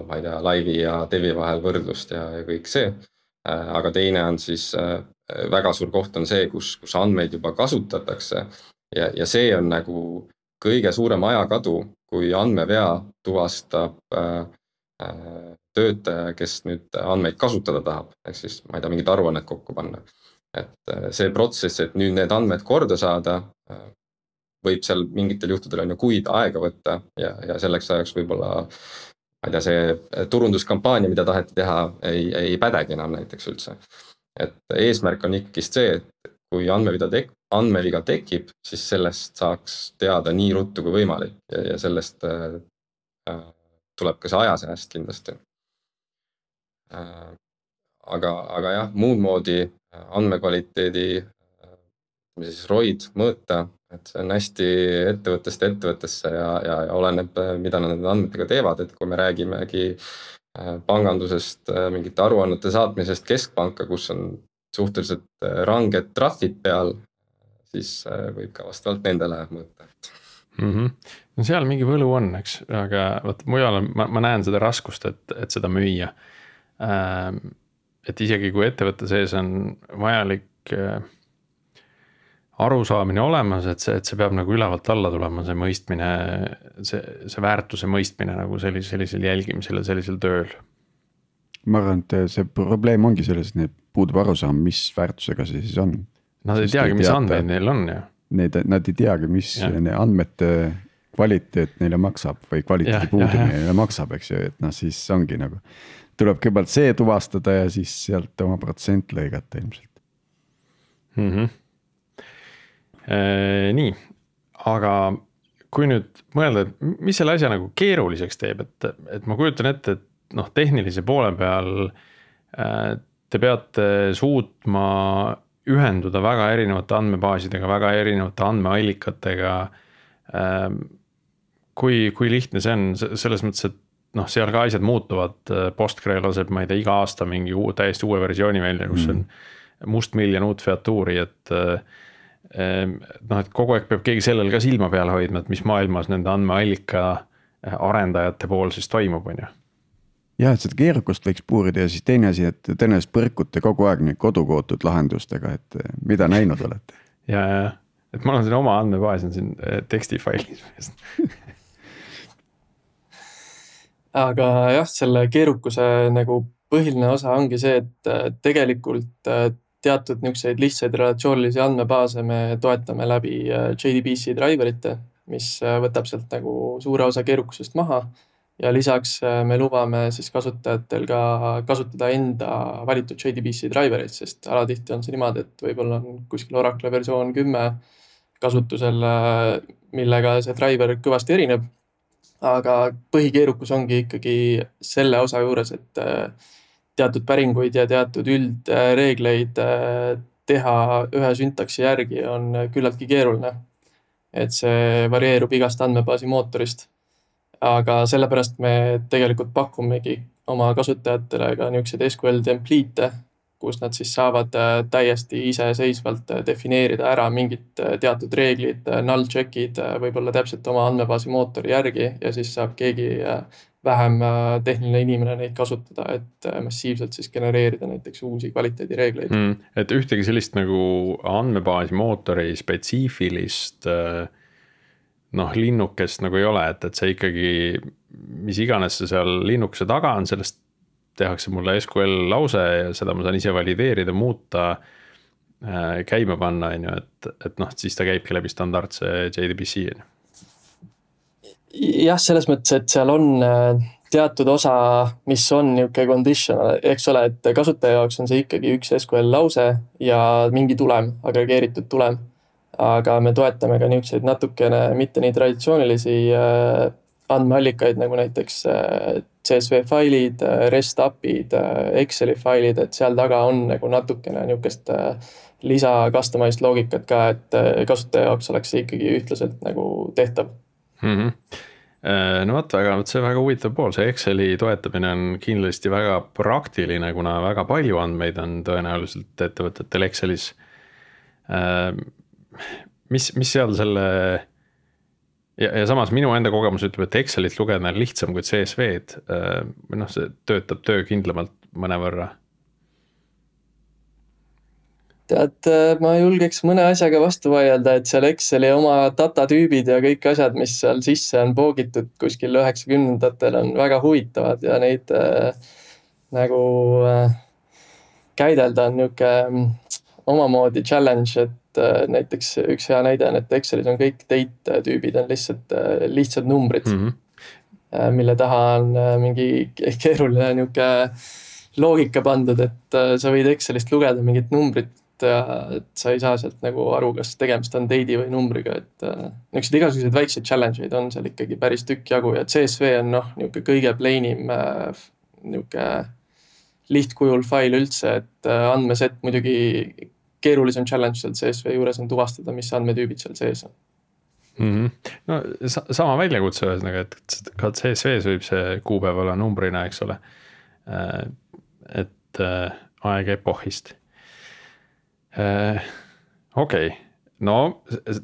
ma ei tea, laivi ja devi vahel võrdlust ja kõik see. Aga teine on siis väga suur koht on see, kus andmeid juba kasutatakse ja see on nagu kõige suurem ajakadu, kui andmevea tuvastab töötaja, kes nüüd andmeid kasutada tahab, ehk siis ma ei tea, mingit aruannet kokku panna. Et see protsess, et nüüd need andmed korda saada, võib seal mingitel juhtudel on ju kuid aega võtta ja selleks ajaks võib-olla ma ei tea, see turunduskampaania, mida taheti teha, ei pädegi enam näiteks üldse. Et eesmärk on ikkagist see, et kui andmeviga tekib, siis sellest saaks teada nii ruttu kui võimalik ja sellest tuleb ka see ajasääst kindlasti. Aga jah, muud moodi andmekvaliteedi ROID mõõta, et see on hästi ettevõttest ettevõttesse ja oleneb, mida nad nende andmetega teevad, et kui me räägimegi pangandusest, mingite aruannete saatmisest keskpanka, kus on suhteliselt ranged trahvid peal, siis võib ka vastavalt nendele mõõta. No seal mingi võlu on, eks, aga mujal ma näen seda raskust, et seda müüa. Et isegi kui ettevõtte sees on vajalik arusaamine olemas, et see peab nagu ülevalt alla tulema, see mõistmine, see väärtuse mõistmine nagu sellisel jälgimisel ja sellisel tööl. Ma arvan, et see probleem ongi selles, et puudub arusaam, mis väärtusega see siis on. Nad ei teagi, mis andmeid neil on. Nad ei teagi, mis andmete kvaliteet neile maksab või kvaliteedi puudumine neile maksab, eks ju, et siis ongi nagu, tuleb kõigepealt see tuvastada ja siis sealt oma protsent lõigata ilmselt. Nii, aga kui nüüd mõelda, et mis selle asja nagu keeruliseks teeb, et ma kujutan ette, et tehnilise poole peal te peate suutma ühenduda väga erinevate andmebaasidega, väga erinevate andmeallikatega. Kui lihtne see on, selles mõttes, et seal ka asjad muutuvad, Postgre laseb, ma ei tea, iga aasta mingi täiesti uue versiooni välja, kus on mustmiljon uut featuuri, et kogu aeg peab keegi sellel ka silma peal hoidma, et mis maailmas nende andmeallika arendajate pool siis toimub, on ju. Jah, et seda keerukust võiks puurida ja siis teine asi, et tõenäoliselt põrkute kogu aeg nüüd kodukootud lahendustega, et mida näinud olete. Ja, et mul on siin oma andmebaas on siin tekstifailis. Aga jah, selle keerukuse nagu põhiline osa ongi see, et tegelikult teatud niisuguseid lihtsaid relatsioonilisi andmebaase me toetame läbi JDBC driverite, mis võtab sealt nagu suure osa keerukusest maha ja lisaks me lubame siis kasutajatel ka kasutada enda valitud JDBC drivereid, sest alatihti on see niimoodi, et võib-olla on kuskil Oracle versioon 10 kasutusel, millega see driver kõvasti erineb. Aga põhikeerukus ongi ikkagi selle osa juures, et teatud päringuid ja teatud üldreegleid teha ühe syntaksi järgi on küllaltki keeruline. Et see varieerub igast andmebaasi mootorist. Aga sellepärast me tegelikult pakumegi oma kasutajatele ka niisugused SQL template'e, kus nad siis saavad täiesti iseseisvalt defineerida ära mingid teatud reeglid, null check'id võib-olla täpselt oma andmebaasi mootori järgi ja siis saab keegi vähem tehniline inimene neid kasutada, et massiivselt siis genereerida näiteks uusi kvaliteedireegleid. Et ühtegi sellist nagu andmebaasi mootori spetsiifilist linnukest nagu ei ole, et see ikkagi, mis iganes see seal linnukese taga on, sellest tehakse mulle SQL lause ja seda ma saan ise valideerida, muuta, käima panna, et siis ta käibki läbi standardse JDBC. Jah, selles mõttes, et seal on teatud osa, mis on niisugune conditional, eks ole, et kasutaja jaoks on see ikkagi üks SQL lause ja mingi tulem, agregeeritud tulem. Aga me toetame ka niisuguseid natukene mitte nii traditsioonilisi andmeallikaid nagu näiteks CSV failid, REST API'd, Exceli failid, et seal taga on nagu natukene niisugust lisa customized loogikat ka, et kasutaja jaoks oleks see ikkagi ühtlaselt nagu tehtav. No see väga huvitav pool, see Exceli toetamine on kindlasti väga praktiline, kuna väga palju andmeid on tõenäoliselt ettevõtetel Excelis. Mis seal selle ja samas minu enda kogemus ütleb, et Excelit lugeda on lihtsam kui CSV-d, see töötab töökindlamalt mõnevõrra. Tead, ma julgeks mõne asjaga vastu vaielda, et seal Exceli oma datatüübid ja kõik asjad, mis seal sisse on poogitud kuskil 90-ndatel on väga huvitavad ja neid nagu käidelda on niisugune omamoodi challenge, et näiteks üks hea näide on, et Excelis on kõik date tüübid on lihtsalt numbrid, mille taha on mingi keeruline niisugune loogika pandud, et sa võid Excelist lugeda mingit numbrit ja et sa ei saa sealt nagu aru, kas tegemist on date'i või numbriga, et niisugused igasugused väikseid challenge'id on seal ikkagi päris tükk jagu ja CSV on niisugune kõige plainim niisugune lihtkujul fail üldse, et andmeset muidugi keerulisem challenge seal CSV juures on tuvastada, mis andmetüübid seal sees on. No sama väljakutse ühesõnaga, et ka CSV-s võib see kuupäev olla numbrina, eks ole. Et aeg epohist. Okei. No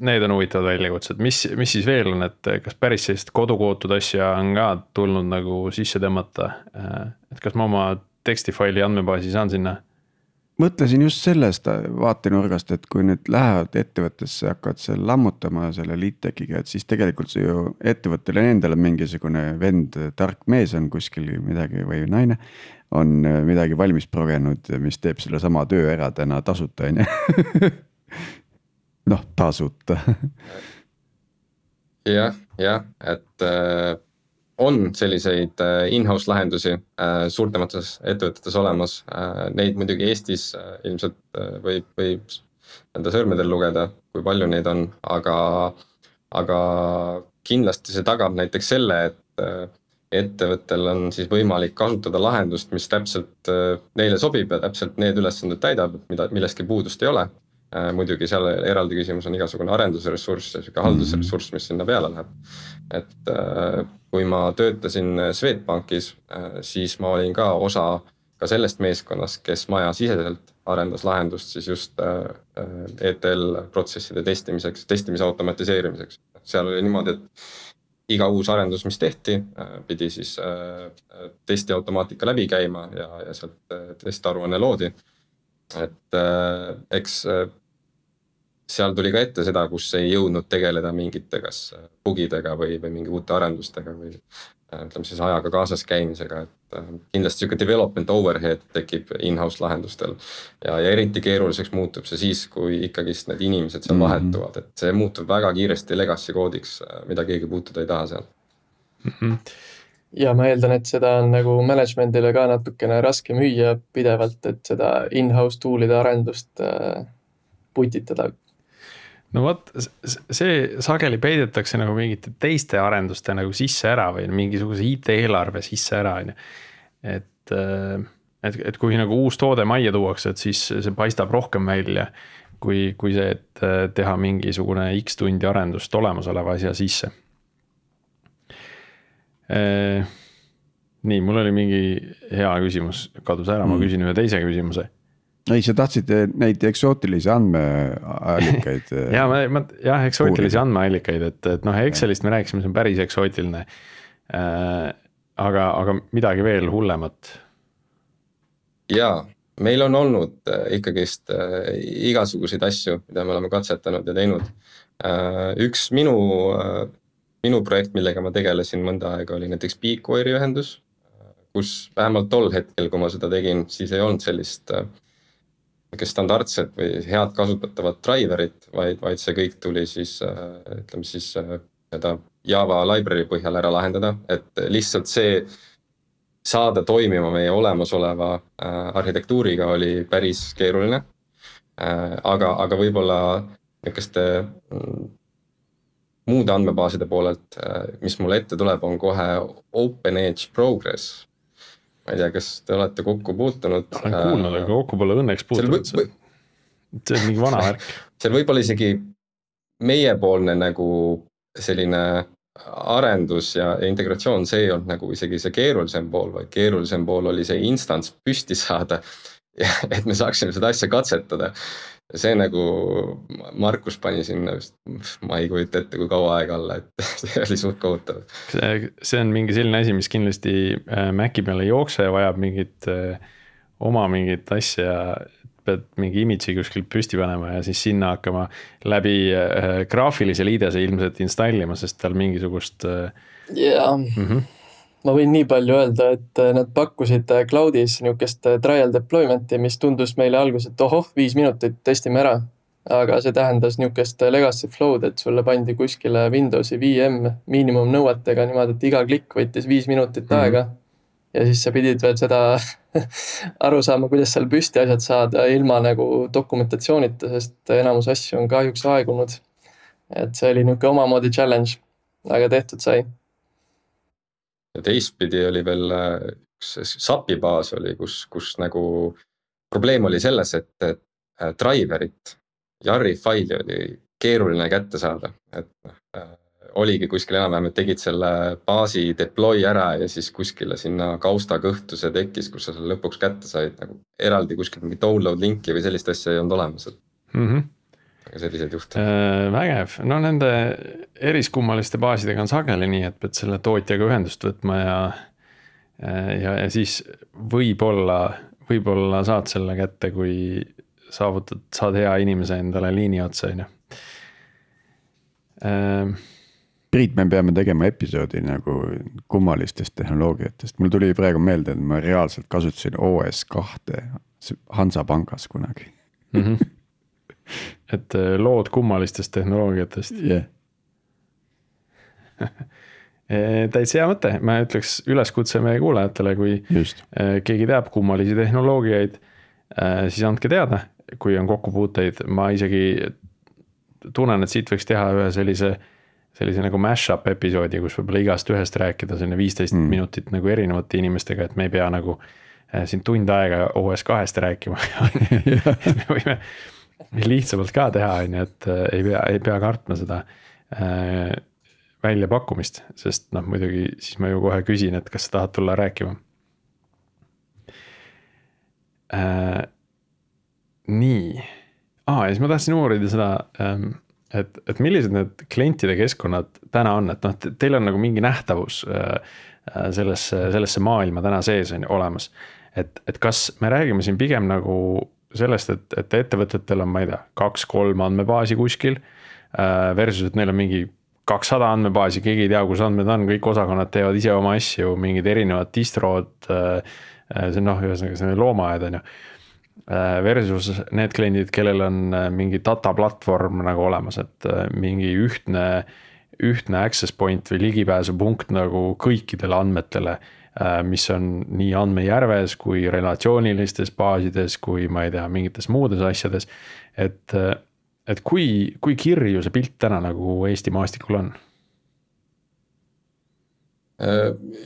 need on huvitavad väljakutsed. Mis siis veel on, et kas päris sellist kodukootud asja on ka tulnud nagu sisse tõmmata? Et kas ma oma tekstifaili andmebaasi saan sinna? Mõtlesin just sellest vaatenurgast, et kui nüüd lähevad ettevõttesse, hakkavad seal lammutama selle LeadTechiga, et siis tegelikult see ju ettevõttele endale mingisugune vend, tark mees on kuskil midagi või naine on midagi valmis progenud, mis teeb selle sama töö ära täna tasuta, noh, tasuta. jah, et on selliseid in-house lahendusi suurtemates ettevõtetes olemas. Neid muidugi Eestis ilmselt võib enda sõrmedel lugeda, kui palju neid on, aga kindlasti see tagab näiteks selle, et ettevõttel on siis võimalik kasutada lahendust, mis täpselt neile sobib ja täpselt need ülesanded täidab, millestki puudust ei ole. Muidugi seal eraldi küsimus on igasugune arendusressurss ja haldusressurss, mis sinna peale läheb. Et kui ma töötasin Swedbankis, siis ma olin ka osa ka sellest meeskonnast, kes maja siseselt arendas lahendust siis just ETL protsesside testimise automatiseerimiseks. Seal oli niimoodi, et iga uus arendus, mis tehti, pidi siis testi automaatika läbi käima ja sealt testaruanne loodi. Et eks seal tuli ka ette seda, kus ei jõudnud tegeleda mingite kas bugidega või mingi uute arendustega või ütleme siis ajaga kaasas käimisega, et kindlasti siuke development overhead tekib in-house lahendustel ja eriti keeruliseks muutub see siis, kui ikkagist need inimesed seal vahetuvad, et see muutub väga kiiresti legacy koodiks, mida keegi puutuda ei taha seal. ja ma eeldan, et seda on nagu management'ile ka natukene raske müüa pidevalt, et seda in-house tool'ide arendust putitada. no vot, see sageli peidetakse nagu mingite teiste arenduste nagu sisse ära või mingisuguse IT-eelarve sisse ära, on ju. Et kui nagu uus toode majja tuuakse, et siis see paistab rohkem välja kui see, et teha mingisugune X tundi arendust olemasoleva asja sisse. Nii, mul oli mingi hea küsimus, kadus ära, ma küsin ühe teise küsimuse. Ei, sa tahtsid neid eksootilisi andmeallikaid. jah, eksootilisi andmeallikaid, et noh, Excelist me rääkisime, see on päris eksootiline. Aga midagi veel hullemat. Jaa, meil on olnud ikkagist igasuguseid asju, mida me oleme katsetanud ja teinud. Üks minu projekt, millega ma tegelesin mõnda aega, oli näiteks Beacoiri ühendus, kus vähemalt tol hetkel, kui ma seda tegin, siis ei olnud sellist standardset või head kasutatavat driverit, vaid see kõik tuli siis, ütleme siis Java library põhjal ära lahendada, et lihtsalt see saada toimima meie olemasoleva arhitektuuriga oli päris keeruline. Aga võib-olla niisuguste muude andmebaaside poolelt, mis mulle ette tuleb, on kohe OpenEdge Progress. Ma ei tea, kas te olete kokku puutunud. Olen kuulnud, aga kokku pole õnneks puutunud. See on mingi vana värk. See võib olla isegi meiepoolne nagu selline arendus ja integratsioon, see ei olnud nagu isegi see keerulisem pool, vaid keerulisem pool oli see instants püsti saada, et me saaksime seda asja katsetada. See nagu Markus pani sinna vist, ma ei kujuta ette, kui kaua aega alla, et see oli suht kohutav. See on mingi selline asi, mis kindlasti Maci peale ei jookse ja vajab mingit asja, pead mingi image'i kuskilt püsti panema ja siis sinna hakkama läbi graafilise liidese ilmselt installima, sest tal mingisugust... Jaa, ma võin nii palju öelda, et nad pakkusid cloudis niisugust trial deployment'i, mis tundus meile alguses, et 5 minutit testime ära. Aga see tähendas niisugust legacy flow'd, et sulle pandi kuskile Windowsi VM miinimumnõuetega niimoodi, et iga klikk võttis 5 minutit aega. Ja siis sa pidid veel seda aru saama, kuidas seal püsti asjad saada ilma nagu dokumentatsioonita, sest enamus asju on kahjuks aegunud. Et see oli niisugune omamoodi challenge, aga tehtud sai. Ja teistpidi oli veel üks SAP-i baas oli, kus nagu probleem oli selles, et driverit, Jarri faili oli keeruline kätte saada. Et oligi kuskil enam-vähem, et tegid selle baasi deploy ära ja siis kuskile sinna kausta kõhtu see tekkis, kus sa selle lõpuks kätte said, nagu eraldi kuskil mingi download linki või sellist asja ei olnud olemas. Aga sellised juhtud. Vägev, no nende eriskummaliste baasidega on sageli nii, et pead selle tootjaga ühendust võtma ja siis võib-olla saad selle kätte, kui saad hea inimese endale liini otsa. Priit, me peame tegema episoodi nagu kummalistest tehnoloogiatest. Mul tuli praegu meelde, et ma reaalselt kasutasin OS2 Hansapangas kunagi. Et lood kummalistest tehnoloogiatest. Yeah. Täitsa hea mõte, ma ütleks üleskutse meie kuulajatele, kui keegi teab kummalisi tehnoloogiaid, siis andke teada, kui on kokkupuuteid. Ma isegi tunnen, et siit võiks teha ühe sellise nagu mashup episoodi, kus võib-olla igast ühest rääkida 15 minutit nagu erinevate inimestega, et me ei pea nagu siin tund aega OS2-st rääkima. Me võime lihtsamalt ka teha, et ei pea kartma seda väljapakkumist, sest muidugi siis ma ju kohe küsin, et kas sa tahad tulla rääkima. Nii. Ja siis ma tahtsin uurida seda, et millised need klientide keskkonnad täna on, et teil on nagu mingi nähtavus sellesse maailma täna sees on olemas. Et kas me räägime siin pigem nagu sellest, et ettevõtetel on, ma ei tea, 2-3 andmebaasi kuskil versus, et neil on mingi 200 andmebaasi, keegi ei tea, kus andmed on, kõik osakonnad teevad ise oma asju, mingid erinevad distrod, see ühesõnaga see loomaaed on ju. Versus need kliendid, kellel on mingi data platvorm nagu olemas, et mingi ühtne access point või ligipääsupunkt nagu kõikidele andmetele, mis on nii andmejärves kui relatsioonilistes baasides, kui ma ei tea, mingites muudes asjades. Et kui kirju see pilt täna nagu Eesti maastikul on?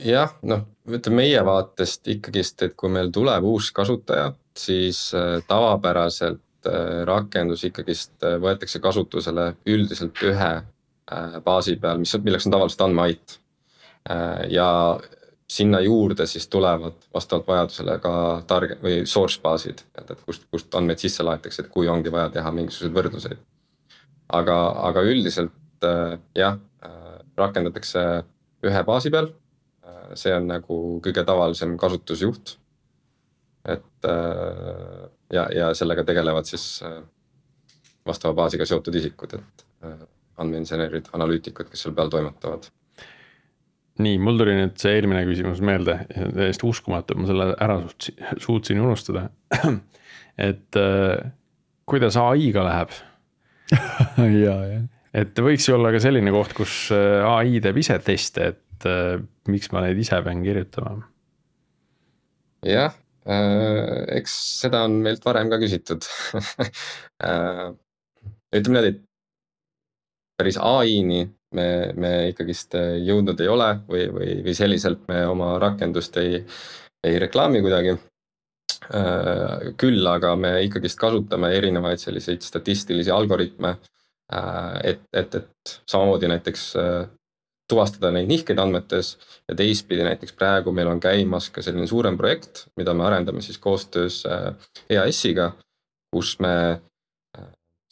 Jah, ütleme meie vaatest ikkagist, et kui meil tuleb uus kasutaja, siis tavapäraselt rakendus ikkagist võetakse kasutusele üldiselt ühe baasi peal, milleks on tavaliselt andmeait. Ja sinna juurde siis tulevad vastavalt vajadusele ka või source baasid, et kust andmeid sisse laetakse, et kui ongi vaja teha mingisuguseid võrdluseid. Aga üldiselt jah, rakendatakse ühe baasi peal, see on nagu kõige tavalisem kasutusjuht, et ja sellega tegelevad siis vastava baasiga seotud isikud, et andmeinsenerid, analüütikud, kes seal peal toimetavad. Nii, mul tuli nüüd see eelmine küsimus meelde, täiesti uskumatu, ma selle ära suutsin unustada, et kuidas AI-ga läheb? ja. Et võiks ju olla ka selline koht, kus AI teeb ise teste, et miks ma neid ise pean kirjutama? Jah, eks seda on meilt varem ka küsitud. Ütleme need, et päris AI-ni me ikkagist jõudnud ei ole või selliselt me oma rakendust ei reklaami kuidagi. Küll aga me ikkagist kasutame erinevaid selliseid statistilisi algoritme, et samamoodi näiteks tuvastada neid nihkeid andmetes ja teistpidi näiteks praegu meil on käimas ka selline suurem projekt, mida me arendame siis koostöös EAS-iga, kus me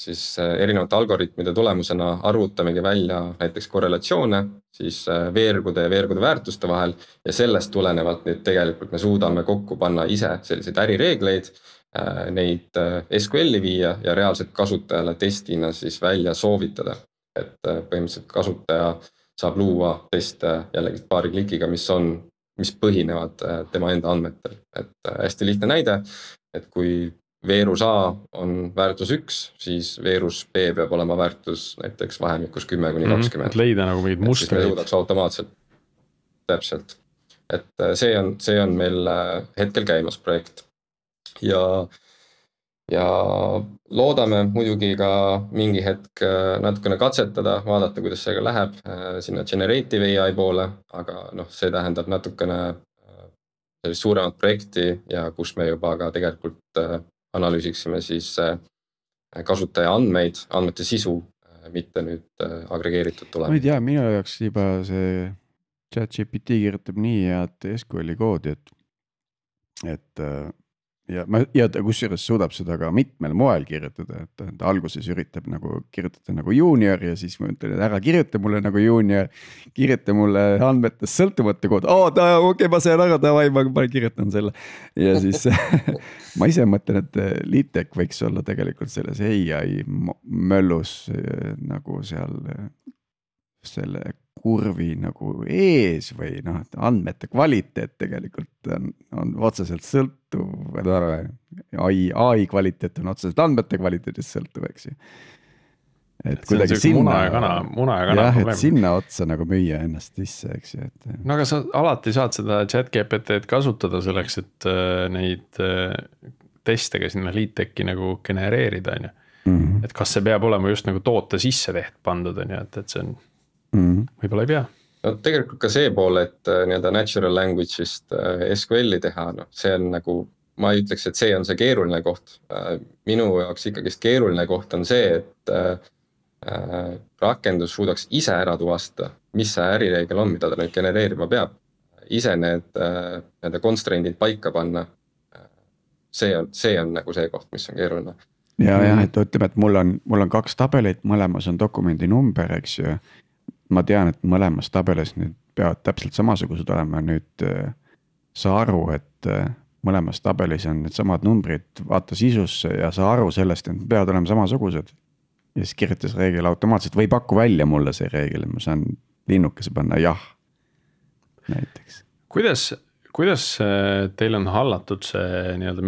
siis erinevate algoritmide tulemusena arvutamegi välja näiteks korrelatsioone siis veergude ja veergude väärtuste vahel ja sellest tulenevalt nüüd tegelikult me suudame kokku panna ise selliseid ärireegleid, neid SQL-i viia ja reaalselt kasutajale testina siis välja soovitada. Et põhimõtteliselt kasutaja saab luua teste jällegi paari klikiga, mis põhinevad tema enda andmetel. Et hästi lihtne näide, et kui veerus A on väärtus 1, siis veerus B peab olema väärtus näiteks vahemikus 10–20. Et leida nagu mingid mustreid. Siis me jõudaks automaatselt. Täpselt. Et see on meil hetkel käimas projekt. Ja loodame muidugi ka mingi hetk natukene katsetada, vaadata, kuidas see läheb sinna generative AI poole, aga see tähendab natukene sellist suuremat projekti ja kus me juba ka tegelikult analüüsiksime siis kasutaja andmeid, andmete sisu, mitte nüüd agregeeritud tulema. Ma ei tea, minu jaoks juba see ChatGPT kirjutab nii head SQL-i koodi, et ja ta kusjuures suudab seda ka mitmel moel kirjutada, et alguses üritab nagu kirjutada nagu junior ja siis ma ütlen, et ära kirjuta mulle nagu junior, kirjuta mulle andmetest sõltumata kood. Okei, ma sain ära, ma kirjutan selle. Ja siis ma ise mõtlen, et LeadTech võiks olla tegelikult selles AI möllus nagu seal selle kurvi nagu ees või andmete kvaliteet tegelikult on otseselt sõltuv, AI kvaliteet on otseselt andmete kvaliteedist sõltuv, eks ju. Et kuidagi sinna, muna ja kana et sinna otsa nagu müüa ennast sisse, eks ju. No aga sa alati saad seda ChatGPT-d kasutada selleks, et neid teste ka sinna LeadTechi nagu genereerida, on ju. Et kas see peab olema just nagu toote sisse pandud, on ju, et see on võib-olla ei pea. No tegelikult ka see pool, et nii-öelda natural language'ist SQL-i teha, see on nagu, ma ei ütleks, et see on see keeruline koht. Minu jaoks ikkagist keeruline koht on see, et rakendus suudaks ise ära tuvastada, mis see ärireegel on, mida ta nüüd genereerima peab. Ise need constraint'id paika panna. See on nagu see koht, mis on keeruline. Ja, et ütleme, et mul on 2 tabelit, mõlemas on dokumendi number, eks ju. Ma tean, et mõlemas tabelis nüüd peavad täpselt samasugused olema. Nüüd sa aru, et mõlemas tabelis on need samad numbrid, vaata sisusse ja sa aru sellest, et peavad olema samasugused. Ja siis kirjutas reegel automaatselt või paku välja mulle see reegel, ma saan linnukese panna jah näiteks. Kuidas teil on hallatud see nii-öelda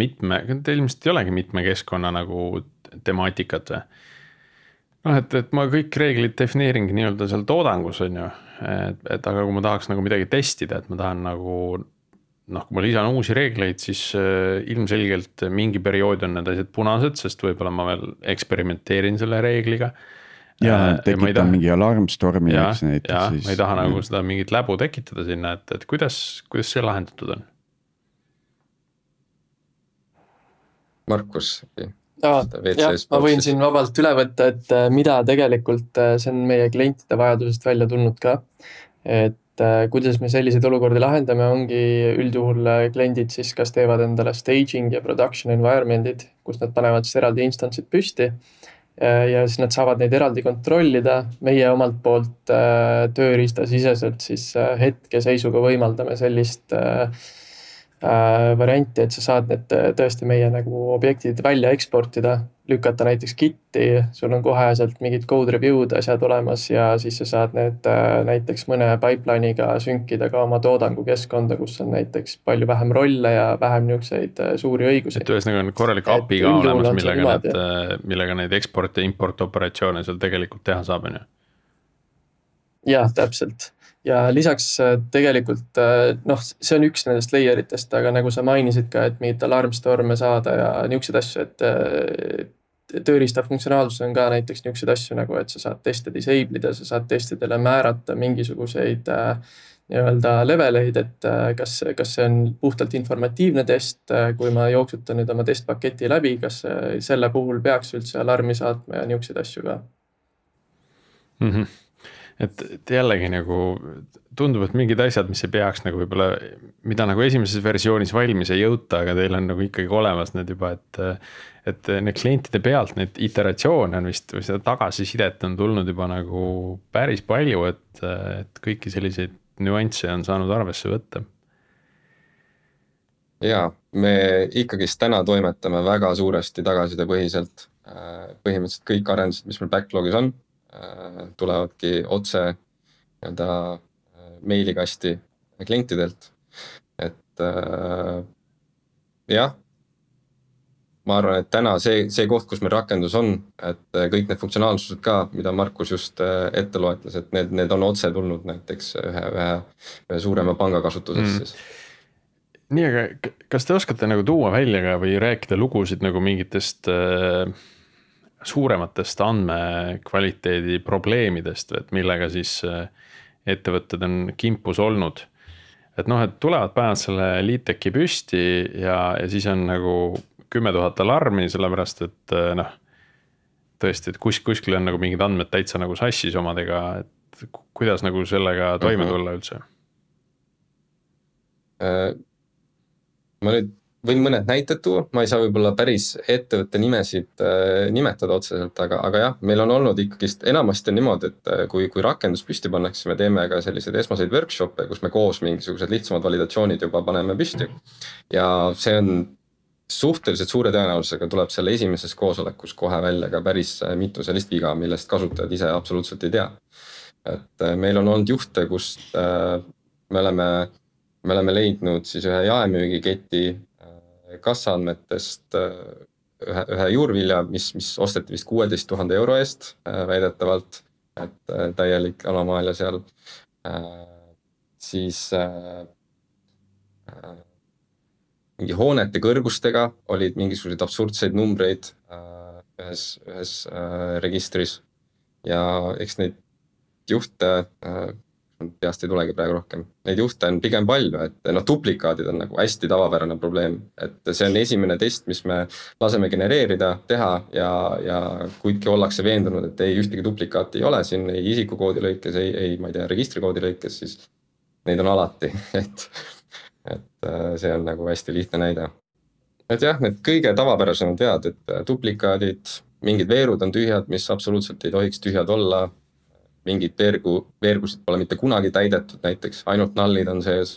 teil ilmselt ei olegi mitme keskkonna nagu temaatikat või? noh, et ma kõik reeglid defineeringi nii-öelda seal toodangus on ju, et aga kui ma tahaks nagu midagi testida, et ma tahan nagu noh, kui ma lisan uusi reegleid, siis ilmselgelt mingi periood on need asjad punased, sest võib-olla ma veel eksperimenteerin selle reegliga. ja tekitan mingi alarmstormi, eks näiteks. Ja, ma ei taha nagu seda mingit läbu tekitada sinna, et kuidas see lahendatud on? Markus. Ma võin siin vabalt üle võtta, et mida tegelikult see on meie klientide vajadusest välja tulnud ka. Et kuidas me selliseid olukordi lahendame, ongi üldjuhul kliendid siis kas teevad endale staging ja production environment'id, kus nad panevad siis eraldi instantsid püsti ja siis nad saavad neid eraldi kontrollida. Meie omalt poolt tööriistasiseselt siis hetkeseisuga võimaldame sellist varianti, et sa saad need tõesti meie nagu objektid välja eksportida, lükata näiteks Gitti, sul on koheselt mingid code review'd asjad olemas ja siis sa saad need näiteks mõne pipeline'iga sünkida ka oma toodangukeskkonda, kus on näiteks palju vähem rolle ja vähem niukseid suuri õigusi. Et ühesõnaga on korralik API ka olemas, millega neid export ja import operatsioone seal tegelikult teha saab, on ju? Jah, täpselt. Ja lisaks tegelikult, noh, see on üks nendest layeritest, aga nagu sa mainisid ka, et mingit alarmstorme saada ja niukseid asju, et tööriista funktsionaalsus on ka näiteks niukseid asju nagu, et sa saad teste disable ida, sa saad testidele määrata mingisuguseid nii-öelda leveleid, et kas see on puhtalt informatiivne test, kui ma jooksutan nüüd oma testpaketi läbi, kas selle puhul peaks üldse alarmi saatma ja niukseid asju ka. Et jällegi nagu tundub, et mingid asjad, mis ei peaks nagu võib-olla, mida nagu esimeses versioonis valmis ei jõuta, aga teil on nagu ikkagi olemas need juba, et need klientide pealt neid iteratsioone on vist, või seda tagasisidet on tulnud juba nagu päris palju, et kõiki selliseid nüansse on saanud arvesse võtta. Ja, me ikkagist täna toimetame väga suuresti tagasisidepõhiselt. Põhimõtteliselt kõik arendused, mis meil backlogis on, tulevadki otse nii-öelda meilikasti klientidelt. Et jah, ma arvan, et täna see koht, kus meil rakendus on, et kõik need funktsionaalsused ka, mida Markus just ette loetles, et need on otse tulnud näiteks ühe suurema panga kasutusest siis. Nii, aga kas te oskate nagu tuua välja ka või rääkida lugusid nagu mingitest suurematest andmekvaliteedi probleemidest, et millega siis ettevõtted on kimpus olnud. Et noh, et tulevad päevad selle liiteki püsti ja siis on nagu 10 000 alarmi, sellepärast et noh, tõesti, et kuskil on nagu mingid andmed täitsa nagu sassis omadega, et kuidas nagu sellega toime tulla üldse? Ma nüüd võin mõned näited tuua, ma ei saa võib-olla päris ettevõtte nimesid nimetada otseselt, aga jah, meil on olnud ikkagist enamasti on niimoodi, et kui rakendus püsti pannakse, me teeme ka selliseid esmaseid workshop'e, kus me koos mingisugused lihtsamad validatsioonid juba paneme püsti. Ja see on suhteliselt suure tõenäosusega tuleb selle esimeses koosolekus kohe välja ka päris mitu sellist viga, millest kasutajad ise absoluutselt ei tea. Et meil on olnud juhte, kus me oleme leidnud siis ühe jaemüügiketi kassaandmetest ühe juurvilja, mis osteti vist 16 000 euro eest väidetavalt, et täielik anomaalia seal. Siis mingi hoonete kõrgustega olid mingisuguseid absurdseid numbreid ühes registris ja eks neid juhte peast ei tulegi praegu rohkem. Neid juhte on pigem palju, et duplikaadid on nagu hästi tavapärane probleem, et see on esimene test, mis me laseme genereerida, teha ja kuidki ollakse veendunud, et ei ühtegi duplikaati ei ole siin, ei isikukoodi lõikes, ei ma ei tea, registrikoodi lõikes, siis neid on alati, et see on nagu hästi lihtne näide. Et jah, need kõige tavapärasemad vead, et duplikaadid, mingid veerud on tühjad, mis absoluutselt ei tohiks tühjad olla, mingid veergusid pole mitte kunagi täidetud, näiteks ainult nullid on sees,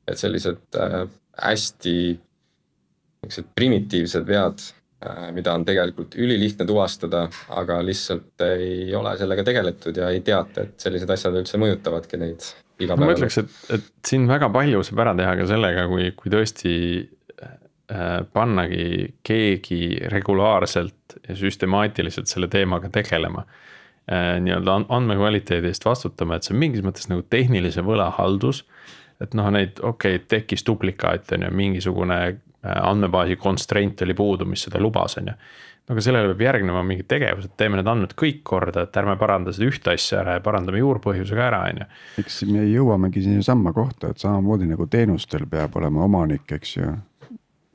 et sellised hästi primitiivsed vead, mida on tegelikult ülilihtne tuvastada, aga lihtsalt ei ole sellega tegeletud ja ei teata, et sellised asjad üldse mõjutavadki neid iga päeva. Ma ütleks, et siin väga palju saab ära teha ka sellega, kui tõesti pannagi keegi regulaarselt ja süstemaatiliselt selle teemaga tegelema. Nii-öelda andmekvaliteedi eest vastutama, et see on mingis mõttes nagu tehnilise võlahaldus, et noh, neid tekkis duplikaat on ju, mingisugune andmebaasi constraint oli puudu, mis seda lubas on ju. Aga sellele peab järgnema mingid tegevused, teeme need andmed kõik korda, et ärme paranda seda ühte asja ära ja parandame juurpõhjusega ära on ju. Eks me jõuamegi sinna samma kohta, et samamoodi nagu teenustel peab olema omanik, eks ju.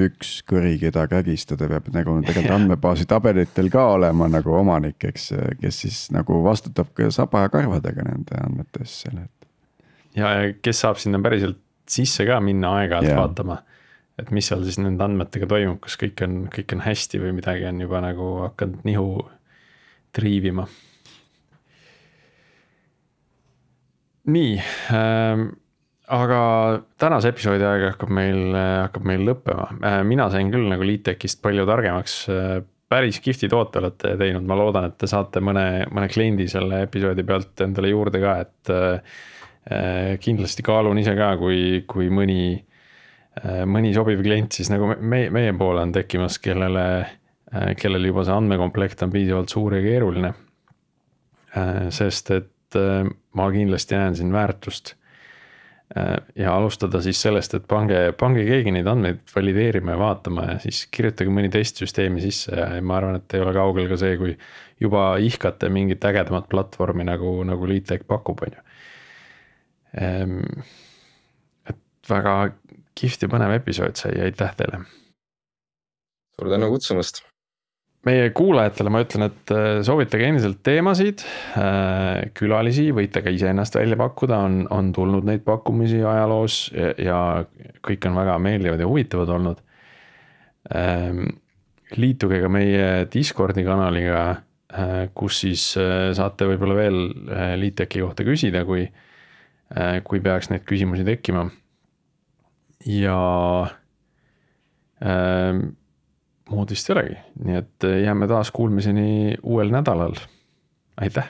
Üks kõri, keda kägistada peab nagu tegelikult andmebaasi tabelitel ka olema nagu omanik, eks, kes siis nagu vastutab ka saba ja karvadega nende andmetes selle. Ja kes saab sinna päriselt sisse ka minna aeg-ajalt vaatama, et mis seal siis nende andmetega toimub, kas kõik on hästi või midagi on juba nagu hakanud nihu triivima. Nii, aga tänase episoodi aeg hakkab meil lõppema. Mina sain küll nagu LeadTechist palju targemaks, päris kihvti toote olete teinud, ma loodan, et te saate mõne kliendi selle episoodi pealt endale juurde ka, et kindlasti kaalun ise ka, kui mõni sobiv klient siis nagu meie poole on tekkimas, kellel juba see andmekomplekt on piisavalt suur ja keeruline. Sest et ma kindlasti näen siin väärtust ja alustada siis sellest, et pange keegi neid andmeid valideerima ja vaatama ja siis kirjutage mõni testsüsteemi sisse ja ma arvan, et ei ole kaugel ka see, kui juba ihkate mingit ägedamat platvormi nagu LeadTech pakub on ju. Et väga kihvt ja põnev episood sai, aitäh teile. Suur tänu kutsumast. Meie kuulajatele ma ütlen, et soovitage endiselt teemasid, külalisi, võite ka ise ennast välja pakkuda, on tulnud neid pakkumisi ajaloos ja kõik on väga meeldivad ja huvitavad olnud. Liituge ka meie Discordi kanaliga, kus siis saate võib-olla veel LeadTechi kohta küsida, kui peaks neid küsimusi tekkima. Ja muud vist ei olegi, nii et jääme taas kuulmiseni uuel nädalal. Aitäh!